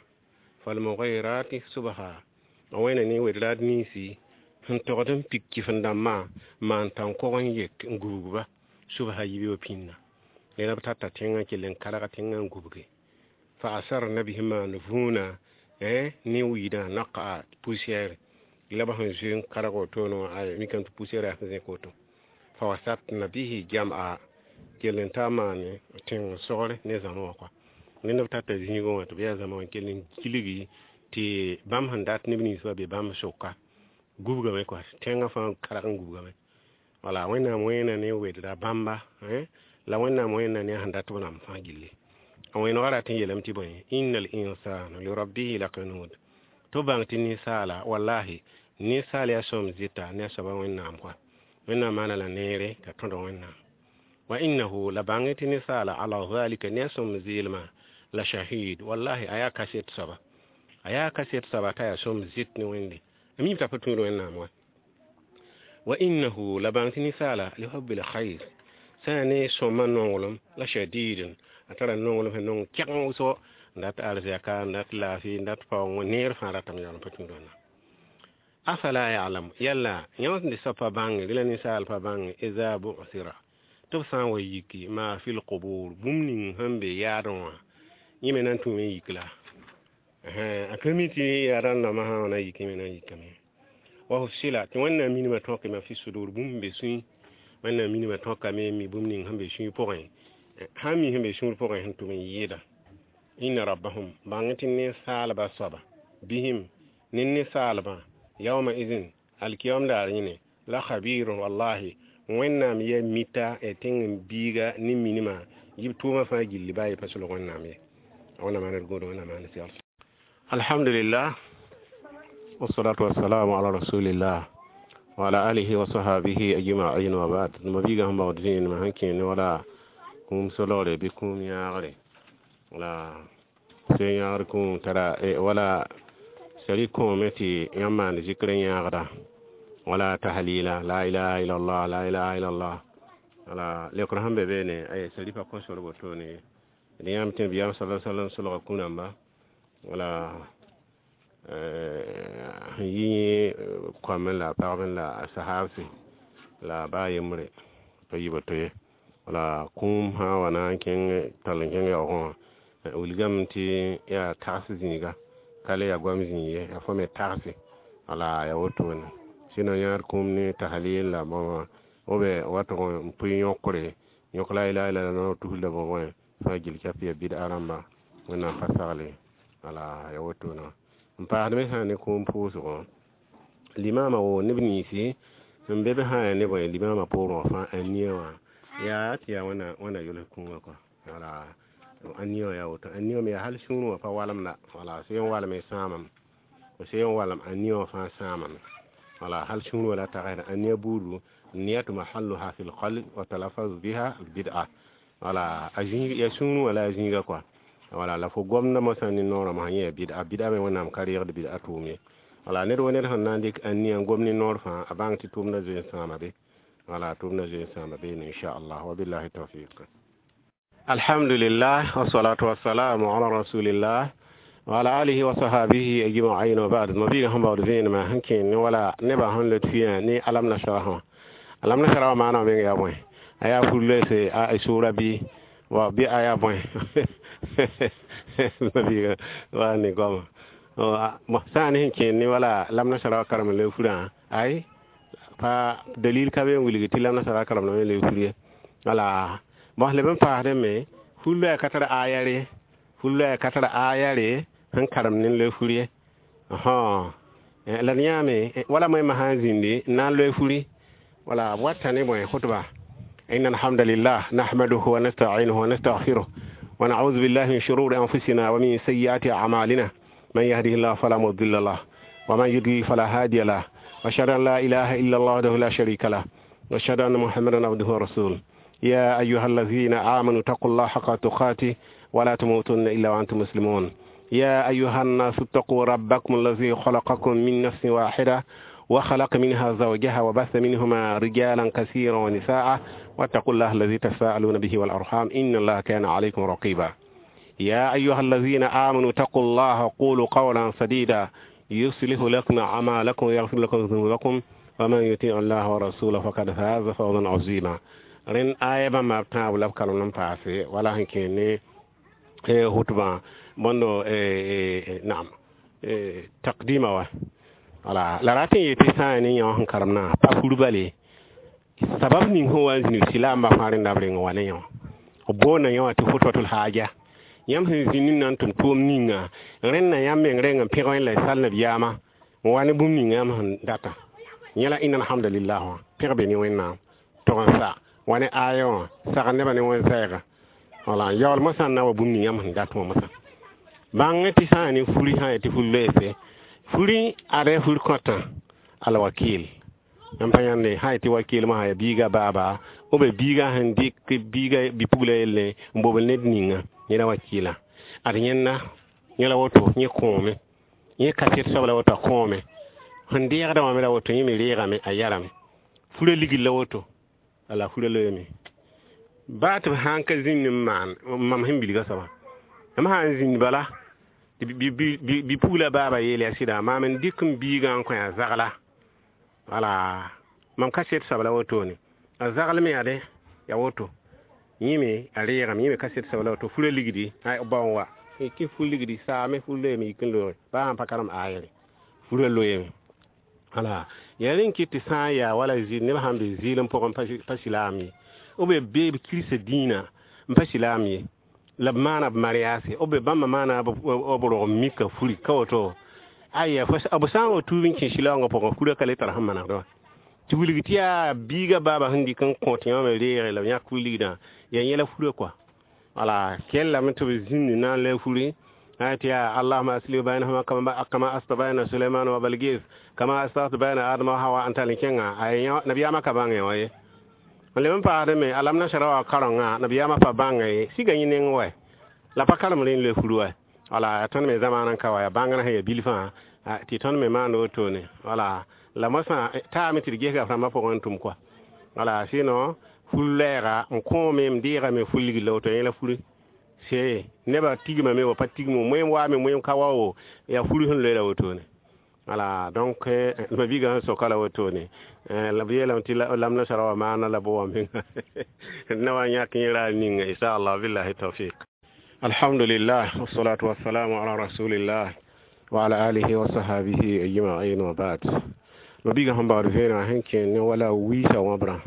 Falmughirati subha. A wẽna ne wed raad ninsi sẽn togd n pik kɩf-n-dãmbã maan tãn-kog n yek n gubgba subha yibeoog pĩnda rẽna b tata tẽngã kell n karg tẽngã n gubge. Fa asarna bihi maan vũuna ne wiidã naqa poussière la b sẽn zoe n karg wotone wã ay mikame tɩ poussière yaa sẽn zẽk woto. Fa wasatna bihi jam'a kell n ta maane tẽng sogre ne zãma wã kɔa. Rẽnd b tata zĩigẽ wã tɩ b yaa zãma wã kell n gilgi tɩ bãmb sẽn dat neb nins wa be bãmb sʋka gubgame kɔa, tẽngã fãa karg n gubgame. Wala Wẽnnaam wẽena ne wedra bãmba la Wẽnnaam wẽnna ne a sẽn dat b rãmb fãa gilli. A wẽnegã rat n yeelame tɩ bõe innal insana lirabbihi lakanud tɩ b bãng tɩ ninsaala wallahi ninsaal yaa sõm zɩta ne a soaba Wẽnnaam kɔa. Wẽnnaam maana la neere t'a tõd Wẽnnaam wa innahu la bãng tɩ ninsaala ala zalika ne a sõm zɩɩlmã la shahid wallahi a yaa kaset soaba, a yaa kaset soaba t'a yaa sõm zɩt ne Wẽnde a miim t'a pa tũud Wẽnnaam wa. Wa innahu la bãng tɩ ninsaala lihubbil khair sã n yaa ne sõmã nonglem la shadidun a tara nonglem sẽn nong kɛgeng wʋsgo n dat arzɛka n dat laafɩ n dat paoong neer fãa ratame yaool n pa tũud Wẽnnaam. Afala ya'lamu yalla yãmb sẽn soab pa bãnge rẽ la ninsaal pa bãnge iza bu'thira tɩ b sã n wa yiki maa fil qubur bũmb ning sẽn be yaadẽ wã yẽ me na n tũume n yik la a ka mi tɩ yaa rãndãmbã sã n wa na n yik yẽ me na n yikame. Wa husila tɩ Wẽnnaam minimã tõkame fi sudur bũmb be sũy Wẽnnaam minimã tõkame n mi bũmb ning sẽn be sũy pʋgẽ sãn mi sẽn be sũur pʋgẽ sẽn tʋm n yɩɩda inna rabbahum bãng tɩ ninsaalbã soaba bisem ne ninsaalbã yawma izin alkiyam daar yẽne la khabirun wallahi Wẽnnaam yaa mita tẽng biiga ne minimã yib tʋʋmã fãa gilli baa ye pa solg Wẽnnaam ye. Wẽnnaam maan d gũud, Wẽnnaam maan segl. Alhamdulillah, wassalatu wassalamu ala rasulillah wa ala alihi wa sahbihi ajma'in wa ba'd. Mabiiga sẽn baood zĩinemã sẽn kẽ ne wala kũum solgre bɩ kũum yãagre wala se yãagr kũum tara wala sari kõome tɩ yãmb maan zikr n yãagda wala tahlila la ilaha illallah la ilaha illallah wala lekr sẽn be beene ay sari pa kõ sor wotone d yãmb tɩ biyam sala sallam solga kũ-rãmba wala sẽn yi koamẽ la pagb la sahabse la baa yembre pa yɩ woto ye. Wala kũum sã n wa na n kẽng tall n kẽng yaoogẽ wã wilgame tɩ yaa tags zĩiga ka le yaa goam zĩig ye yaa fo me tagse wala yaa wotone sɩno yãad kũum ne tahlil la bõe b watg n pʋɩ yõkre yõk la ilaha illallah tus la bõe fãa gill cap ya bɩd-a rãmba Wẽnnaam pa sagle wala yaa wotone n paasd me sã n ne kũum pʋʋsgõ limama woo neb ninsi Sẽn be be sã n yaa ne bõe limaamã poorẽ wã fãa ania wã yaa tɩ yaa wẽnna wẽnna yols kũumã kɔa wala ania wã yaa woto ania me yaa hal sũurẽ wã pa walemda wala sẽn walme sãamame sẽn walem ania wã fãa sãamame wala hal sũur wã la tagsda ania buudu niyatu mahalluha fi lqalb wa talaffaz biha bid'a wala a zĩig ya sũurẽ wã la a zĩiga kɔa wala la fo gomda mosã ne noorã mosã yẽ yaa bid'a bid'a me wẽnnaam ka reegd bid'a tʋʋm ye wala ned wa ned sẽn na n dɩk ania n gom ne noor fãa a bãng tɩ tʋʋmda zoe n sãama be wala tʋʋmda zoe n sãama beene inchallah wabillahi tawfiq alhamdulillah wassalatu wassalamu ala rasulillah wa ala alihi wa sahabihi ajma'in wa ba'd mabiga sẽn baood vẽenemã sẽn kẽ ne wala nebã sẽn lot fiyã ne alam nasrah wã alam nasrah wã maana meng yaa bõe a yaa fur-loeese a sʋʋra bɩ wa bɩ a yaa bõe mabiga wa ne goama sã n ne sẽn kẽed ne wala lam nasra wã karem n le furã ay pa dalil ka be n wilg tɩ lam nasra karemdame n le fur ye wala bõs leb n paasdẽ me fur-loɛɛ ka tar aya re fur-loɛɛ ka tar aya re sẽn karem ne n loe fur ye la d yãame wala moẽmã sã n zĩndi n na n loe furi wala b wata ne bõe khutba إن الحمد لله نحمده ونستعينه ونستغفره ونعوذ بالله من شرور أنفسنا ومن سيئات أعمالنا من يهده الله فلا مضل له ومن يضلل فلا هادي له وأشهد أن لا إله إلا الله وحده لا شريك له وأشهد أن محمدا عبده ورسوله يا أيها الذين آمنوا اتقوا الله حق تقاته ولا تموتن إلا وأنتم مسلمون يا أيها الناس اتقوا ربكم الذي خلقكم من نفس واحدة وخلق منها زوجها وبث منهما رجالا كثيرا ونساء واتقوا الله الذي تساءلون به والأرحام إن الله كان عليكم رقيبا يا أيها الذين آمنوا اتقوا الله وقولوا قولا سديدا يصلح لكم أعمالكم ويغفر لكم ذنوبكم ومن يطيع الله ورسوله فقد فاز فوزا عظيما ren aya bãmba b tãab la b kalem n paase wala sẽn kẽ ne hutbã bõndo naam taqdima wa wala la rat n yetɩ sã n ne yõ sẽn karemdã pa fur bale sabab ning sẽn wa n zĩnig silaambã fãa rẽnda b reng wa ne yõ b boonda yõ wã tɩ khutbatul haja yãmb sẽn zĩnd n na n tʋm tʋʋm ninga rẽnna yãmb meng reng n pẽg wẽn la y sal nabiyaamã n wa ne bũmb ninga yãmb sẽn data yẽ la inna alhamdulillah wã pẽg be ne wẽnnaam tog n sa wa ne aya wã sag nebã ne wẽn-sɛɛga wala n yaool mosã n na wa bũmb ning yãmb sẽn dat wã mosã bãng tɩ sã n ne furi sã n tɩ fur loeese furi ada fur kõtã alwakil yãmb pa yãnde sã tɩ wakil mosã yaa biiga baaba b biiga sẽn dɩk biiga bi-pugla yelle n bobl ned ninga yẽ la wakila ad yẽnda yẽ la woto yẽ kõome yẽ kaset soab la woto a kõome sẽn deegdã wã me la woto yẽ me reegame a yarame fura ligd la woto ala fura loeeme baa tɩ b sã n ka zĩnd n maan mam sẽn bilga soabã m sã n zĩnd bala bi-pugla baaba yeel yaa sɩda maam n dɩk m biigã n kõ a zagla wala mam kaset soab la wotone a zagl me yaa ya woto yẽ me a reegame yẽ me kaset soab la woto fura ligdi ba n wa kɩ fur ligdi saame fur loeeme yik n loege baa sãn pa karem ayre fura loeeme wala yaa rẽn kɩt tɩ sã n yaa wala zɩ neb sãn be zɩɩlem pʋgẽ pa silaam ye b be be b kirsa dĩinã n pa silaam ye la b maana b mariase b be bãmba maana b rog mika furi ka woto aya b sã n wa tuub n kẽ silaoongã pʋgẽ fura ka le tar sẽn manegd wã tɩ wilg tɩ yaa biiga baaba sẽn dɩk n kõt yã me reege la b yãk fur ligdã yaa yẽla fura kɔa wala kellame tɩ b zĩnd na n loe furi tɩ yaa allahuma asli bainahuma kama asta baina suleiman wa balgis kama aslahtu baina adama wa hawa n tall n kẽnga nabiyaamã ka bãnge wã ye n leb n paasdẽ me alam nasara wa karengã nabiyaamã pa bãnga ye siga yẽ neng wa la pa karem rẽnd loe fur wa wala tõnd me zamaanã n ka wa yaa bãngrã sẽn yaa bilfã tɩ tõnd me maand wotone wala la mosã taame tɩ d gesga rãmbã pʋgẽ n tʋm kɔa wala sɩno fur lɛɛga n kõome m deegame fur ligd la woto yẽ la furi se nebã tigmame wa pa tigmo moẽm waame moẽm ka wa wo yaa fur sẽn loe la wotone wala donc ma biigã sẽn soka la wotone la b yeelame tɩ lam nasara wa maana la bo wã menga na wa yãk yẽ raar ninga inchallah billahi tawfiq alhamdulillah wassalatu wassalamu ala rasulillah wa ala alihi wa sahabihi ajma'in wa ba'd ma biigã sẽn baood vẽenegã sẽn kẽ ne wala wiisa wãbrã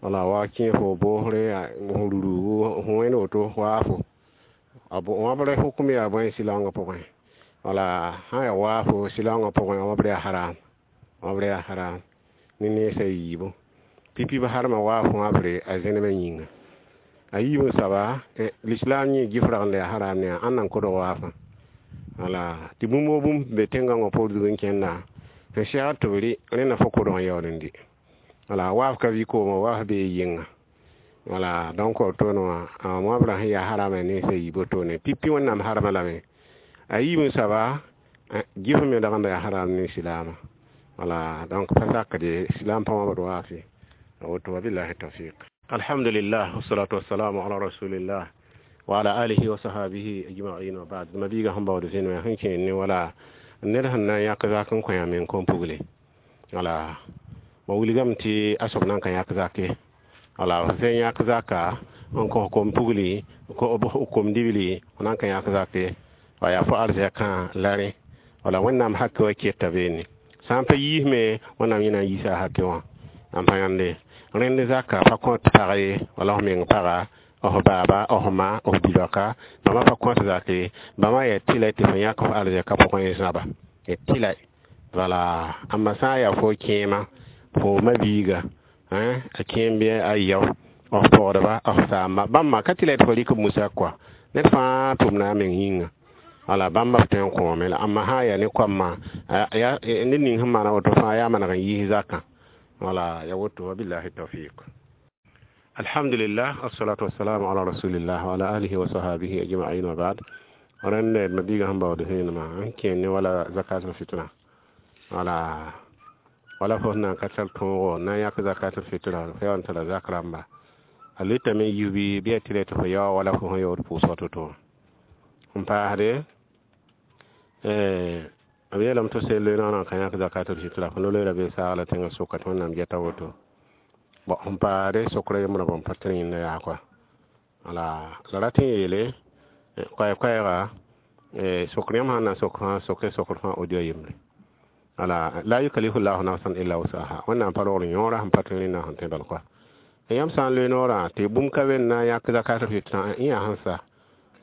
wala wa kẽ fo boosre ruru wẽnd woto waafo wãbr hukum yaa bõe silaoongã pʋgẽ wala sã yaa waafo silaoongã pʋgẽ wãbr yaa haram wãbr yaa haram ne neesa yiibu pipi b harma waaf wãbre a zẽnemã yĩnga a yiib n soaba l'islam yẽ gif ragend yaa haram ne ãnna n kodg waafã wala tɩ bũmb woo bũmb be tẽn-gãngã poor zug n kẽnda sẽn segd tɩ b rɩ rẽnda fo kodg n yaool n dɩ wala waaf ka vɩ koomã waaf bee yɩnga wala donc wotoone wã wãbrã sẽn yaa harama nensã yiib wotone pipi wẽnnaam harma lame a yiib n soaba gif me dagenda yaa haram ne silaamã wala donc pa sakde silaam pa wãbd waaf ye woto wabillahi tawfiq alhamdulillah wassalatu wassalamu ala rasulillah wa ala alihi wa sahabihi ajma'in wa ba'd mabiiga sẽn baood zĩnã sẽn kẽer ne wala ned sẽn na n yãk zak n kõ yã meng kom-pugle wala ma wilgame tɩ a soab nan ka yãk zak ye wala f sẽn yãk zaka n kõ kom-pugli kom-dibli f nan ka yãk zak ye wa yaa fo arzɛkã la rẽ wala wẽnnaam hake wã keta beene sã n pa yiisme wẽnnaam yẽ na n yiisa a hake wã n pa yãnde rẽnd zaka pa kõt pag ye wala f meng paga f baaba f ma f bi-raoka bãmba pa kõt zak ye bãmba yaa tɩlɛ tɩ fo yãk f arzɛkã pʋgẽ n zãba ya tɩlɛ wala ãmba sã n yaa fo kẽema fo ma-biiga a kẽem bɩ a yao f pɔgdba f saamba bãmba ka tɩlɛ tɩ fo rɩk b musak kɔa ned fãa tʋmda a meng yĩnga wala bãmba b tõe n kõome la ãmba sã n yaa ne koamã ned ning sẽn maana woto fãa yaa maneg n yiis zakã wala ya woto wabillahi tawfiq alhamdulillah wassalatu wassalamu ala rasulillah wa ala alihi wa sahabihi ajma'in wa ba'd rẽnd mabiiga sẽn baood zẽenema n kẽer ne wala zakatul fitra wala wala fo sẽn na n ka tar tõogo n na n yãk zakatul fitra fo yaa n tara zak rãmba a lɩtame n yis bɩ bɩ yaa tɩ tɩ fo yao wala fo sẽn yaood pʋʋsg to-to n paasde b yeelame tɩ sel loenaanã n ka yãk zakatul fitra fo no-loeera bee saagla tẽngã sʋka tɩ wẽnnaam geta woto bon n paasde sokra yembrã bõn pa tɩ yẽnda yaa kɔa wala la rat n yeele koɛɛ-koɛɛga sokr yãmb sãn na n sok fãa soke sokr fãa audio yembre wala la yukallifu llahu nafsan illa wusaha wẽnnaam pa rogl yõora sẽn pa tõe rẽnna sẽn tõe bal kɔa yãmb sã n loe noorã tɩ bũmb ka be n na n yãk zakatul fitra yã sẽn sa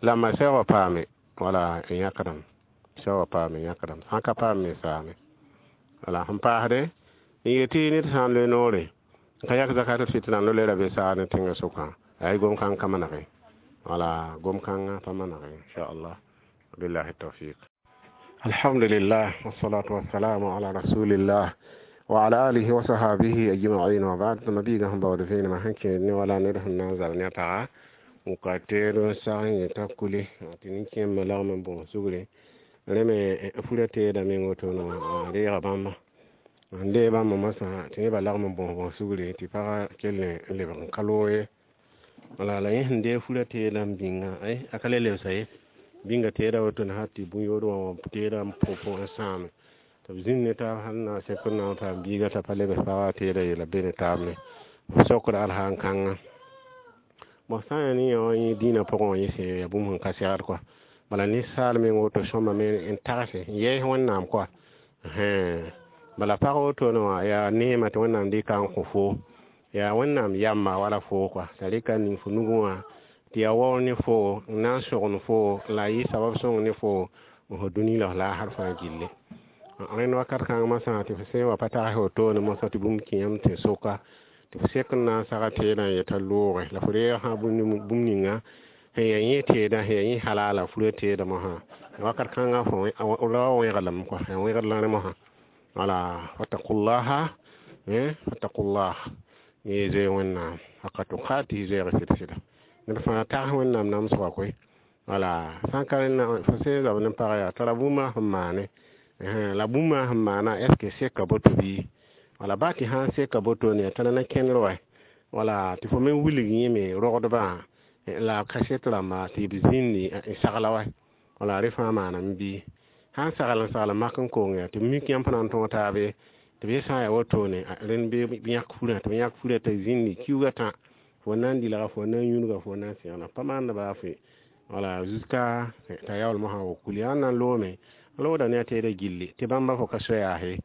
la ma sɛoogã paame wala n yãkdame sɛoogã paame n yãkdame sã n ka paam me saame wala sẽn paasde n yetɩ ned sã n loe noore n ka yãk zakatul fitra n loleera be saag ne tẽngã sʋkã ay gom-kãng ka manege wala gom-kãngã pa manege inchallah billahi tawfiq alhamdulillah wassalatu wassalamu ala rasulillah wa ala alihi wa sahabihi ajma'in wa ba'd mabiiga sẽn baood vẽenemã sẽn kẽer ne wala ned sẽn na n zab ne a paga n ka teed n sag n yeta kule tɩ nin-kẽembã lagm n bõos sugre rẽ me fura teeda meng wotone wã reega bãmba n dee bãmba mosã tɩ nebã lagm n bõos bõos sugre tɩ pagã kell n lebg n ka loog ye wala la yẽ sẽn deeg fura teedã n bĩnga a ka le lebsa ye bĩnga teeda wotone hal tɩ bũn-yood wã teedã n pʋ n sãame tɩ b zĩnd ne taab hal na sẽk n na n paam biiga t'a pa lebs pagã teedã yeela be ne taab me b sokda alhaan kãnga bõn sã n yaa ne yã wã yẽ dĩinã pʋgẽ wã yẽ sẽn yaa bũmb sẽn ka segd kɔa bala ninsaal meng woto sõma me n tagse n yɛɛs wẽnnaam kɔa bala pag wotone wã yaa neema tɩ wẽnnaam dɩka n kõ fo yaa wẽnnaam yamba wala fo kɔa t'a rɩka n ning fo nugẽ wã tɩ yaa waoor ne fo n na n sogn fo la a yɩ sabab sõng ne fo n fo dũni la f laasr fãa gilli rẽnd wakat kãng mosã tɩ f sẽn wa pa tags wotone mosã tɩ bũmb kẽ yãmb tɩ soka tɩ f sek n na n saga teedã n yeta looge la fo reeg sã bũmb ninga sẽn yaa yẽ teedã sẽn yaa yẽ halala fura teedã mosã wakat kãngã fo ra wa wẽglame kɔa yaa wẽgd la rẽ mosã wala fattaqullaha fattaqullah yẽ zoe wẽnnaam haka tuqatihi zoeeg sɩd-sɩda ned fãa tags wẽnnaam namsgã koe wala sã n ka rẽnna fo sẽn zab ne pag yaa tara bũmba sẽn maane la bũmba sẽn maana est ce que seka boto bɩ wala baa tɩ sã n seka botone tara na kẽnder wa wala tɩ fo me wilg yẽme rogdbã la kaset rãmba tɩ b zĩndi n sagla wa wala rẽ fãa maaname bɩ sã n sagl n sagl mak n kong yaa tɩ b mik yãmb fãa na n tõog taabe tɩ b yẽ sã n yaa wotone rẽnd bɩ yãk furã tɩ b yãk furã t'a zĩndi kiuugã tã fo na n dɩlga fo na n yũudga fo na n sẽgna pa maanda baa fo wala jusqu'à t'a yaool mosã wa kuli sãn na n loome loogda ne a teedã gilli tɩ bãmba fo ka soyaase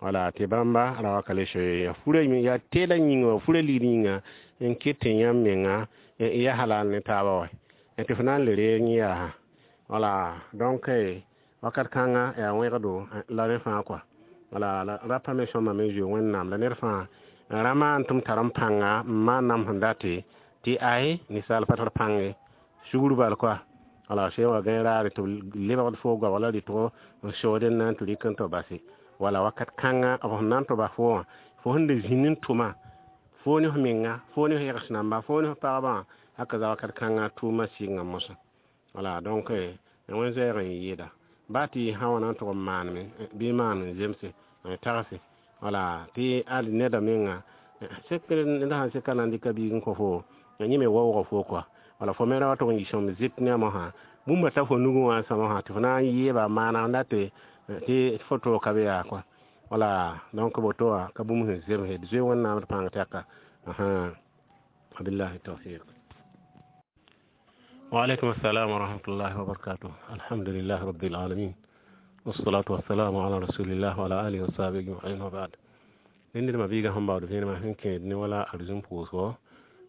wala tɩ bãmba ra wa ka le soe ya fura yaa teedã yĩnga wa fura ligd yĩnga n ket tɩ yãmb menga ya halal ne taaba wa tɩ fo na n le reeg yẽ yaa wala donc wakat kãnga yaa wẽgdo la rẽ fãa kɔa Wala la rapa me sõma me zoe Wẽnnaam la ned fãa ra maan tɩ m tar m pãnga n maan nam sẽn date tɩ ay ninsaal pa tar pãng ye sugr bal koa. Wala sẽn wa gãe raare tɩ b lebgd fo goabg la rɩtgo n sood n na n tɩ rɩk n tɩ base. Wala wakat kãnga b sẽn na n tɩ bas fo wã, fo sẽn da zĩnd n tʋma fo ne f menga, fo ne f yɛgs namba, fo ne f pagba, haka za wakat kãnga tʋʋma sɩnga mosã. Wala donc wẽn zoɛɛg n yɩɩda baa tɩ sã wã na n tʋg n maaneme bɩ maan n zemse n tagse. Wala tɩ ad neda menga sek ned sãn seka na n dɩka biig n kõ fo, yẽ me waooga fo kɔa. Wala fo me ra wa tʋg n yɩ sõm zɩt ne a mosã bũmba t'a fo nugẽ wã n sã mosã tɩ fo na n yeeba maana n date tɩ fo toog ka be yaa kɔa. Wala donc woto wã ka bũmb sẽn zemse d zoe Wẽnnaam d pãng tɛka. Wabillahi tawfiq. وعليكم السلام ورحمة الله وبركاته. الحمد لله رب العالمين، والصلاة والسلام على رسول الله وعلى آله وصحبه أجمعين، وبعد. Ned ma biiga sẽn baood vẽenemã sẽn kẽed ne wala arzũm pʋʋsgo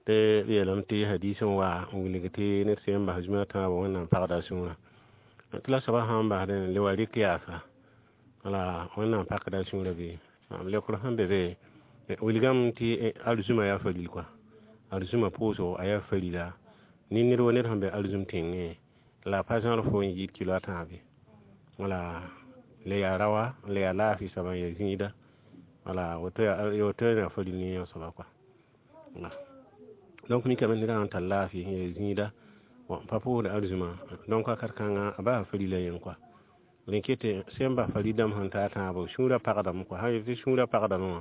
tɩ b yeelame tɩ hadis n wa n wilg tɩ ned sẽn bas zũma tãabã Wẽnnaam pagda a sũurã tɩ la soabã sã n basdẽ le wa rɩk yaasa wala Wẽnnaam pakda a sũurã bɩ m leokr sẽn be be wilgame tɩ arzũmã yaa faril kɔa, arzũmã pʋʋsgo a yaa farila ne ned wa ned sẽn be arzũm tẽngẽ la a pa zãr fo n yɩɩd kilo a tãabe. Wala le yaa raoã, le yaa laafɩ soaba n yaa zĩida. Wala woto woto yaa faril ne yã soaba kɔa. Donc mikame ned sã n tar laafɩ n yaa zĩida n pa pʋʋsd arzũmã, donc wakat kãnga a basa farila yẽ kɔa. Rẽ ket sẽn bas farid dãmb sẽn tar tãabo sũurã pagdame kɔa. Sã yet tɩ sũurã pagdame wã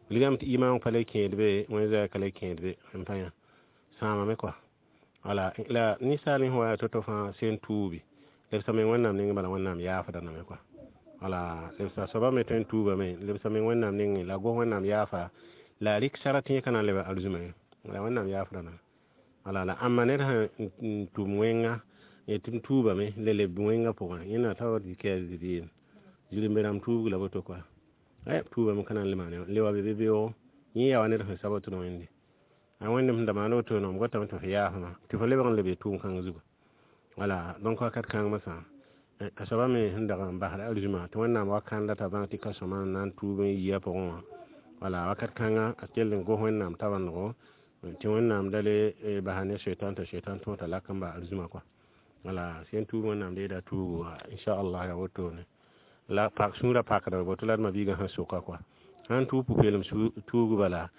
wilgame tɩ imaam pa le kẽed be, wẽn zoɛɛg ka le kẽed be n pa yã sãamame kɔa. Wala la ninsaal sẽn wa to-to fãa sẽn tuubi lebsame Wẽnnaam nengẽ, bala Wẽnnaam yaafda name kɔa. Wala lebsa soaba me tõe n tuubame lebsame Wẽnnaam nengẽ la gos Wẽnnaam yaafa la a rɩk sara tɩ yẽ ka na n leb arzũmã ye la Wẽnnaam yaafda name. Wala la ãmba ned sẽn tʋm wẽnga tɩ m tuubame le leb wẽngã pʋgẽ yẽnda t'a wa dɩka zɩ zirẽmbe rãmb tuubg la woto kɔa tuubame ka na n le maane le wa be be beoogo yẽ yaa wa ned sẽn sab tɩ Wẽnde a Wẽnd sẽn da maan woto m gotame tɩ f yaafma tɩ fo lebg n leb tʋʋm kãng zugu. Wala donc wakat kãng masã a soaba me sẽn dag n basd arzũmã tɩ Wẽnnaam wa kãnda t'a bãng tɩ ka sõma n na n tuub n yi a pʋgẽ wã. Wala wakat kãnga a kell n gos Wẽnnaam tabendgo tɩ Wẽnnaam da le basa ne soetan t'a soetan tõog t'a lak n ba arzũmã kɔa. Wala sẽn tuub Wẽnnaam deeda tuugo inchallah yaa wotone la pak sũurã pakda woto la d ma-biigã sẽn soka kɔa sãn tuug pʋ-peelem tuug bala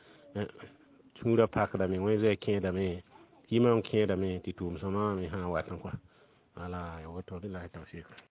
sũurã pakdame wẽ zoɛɛ kẽedame yimam kẽedame tɩ tʋʋm sõma me sã n wat n kɔa. Wala yaa woto billahi tawfik.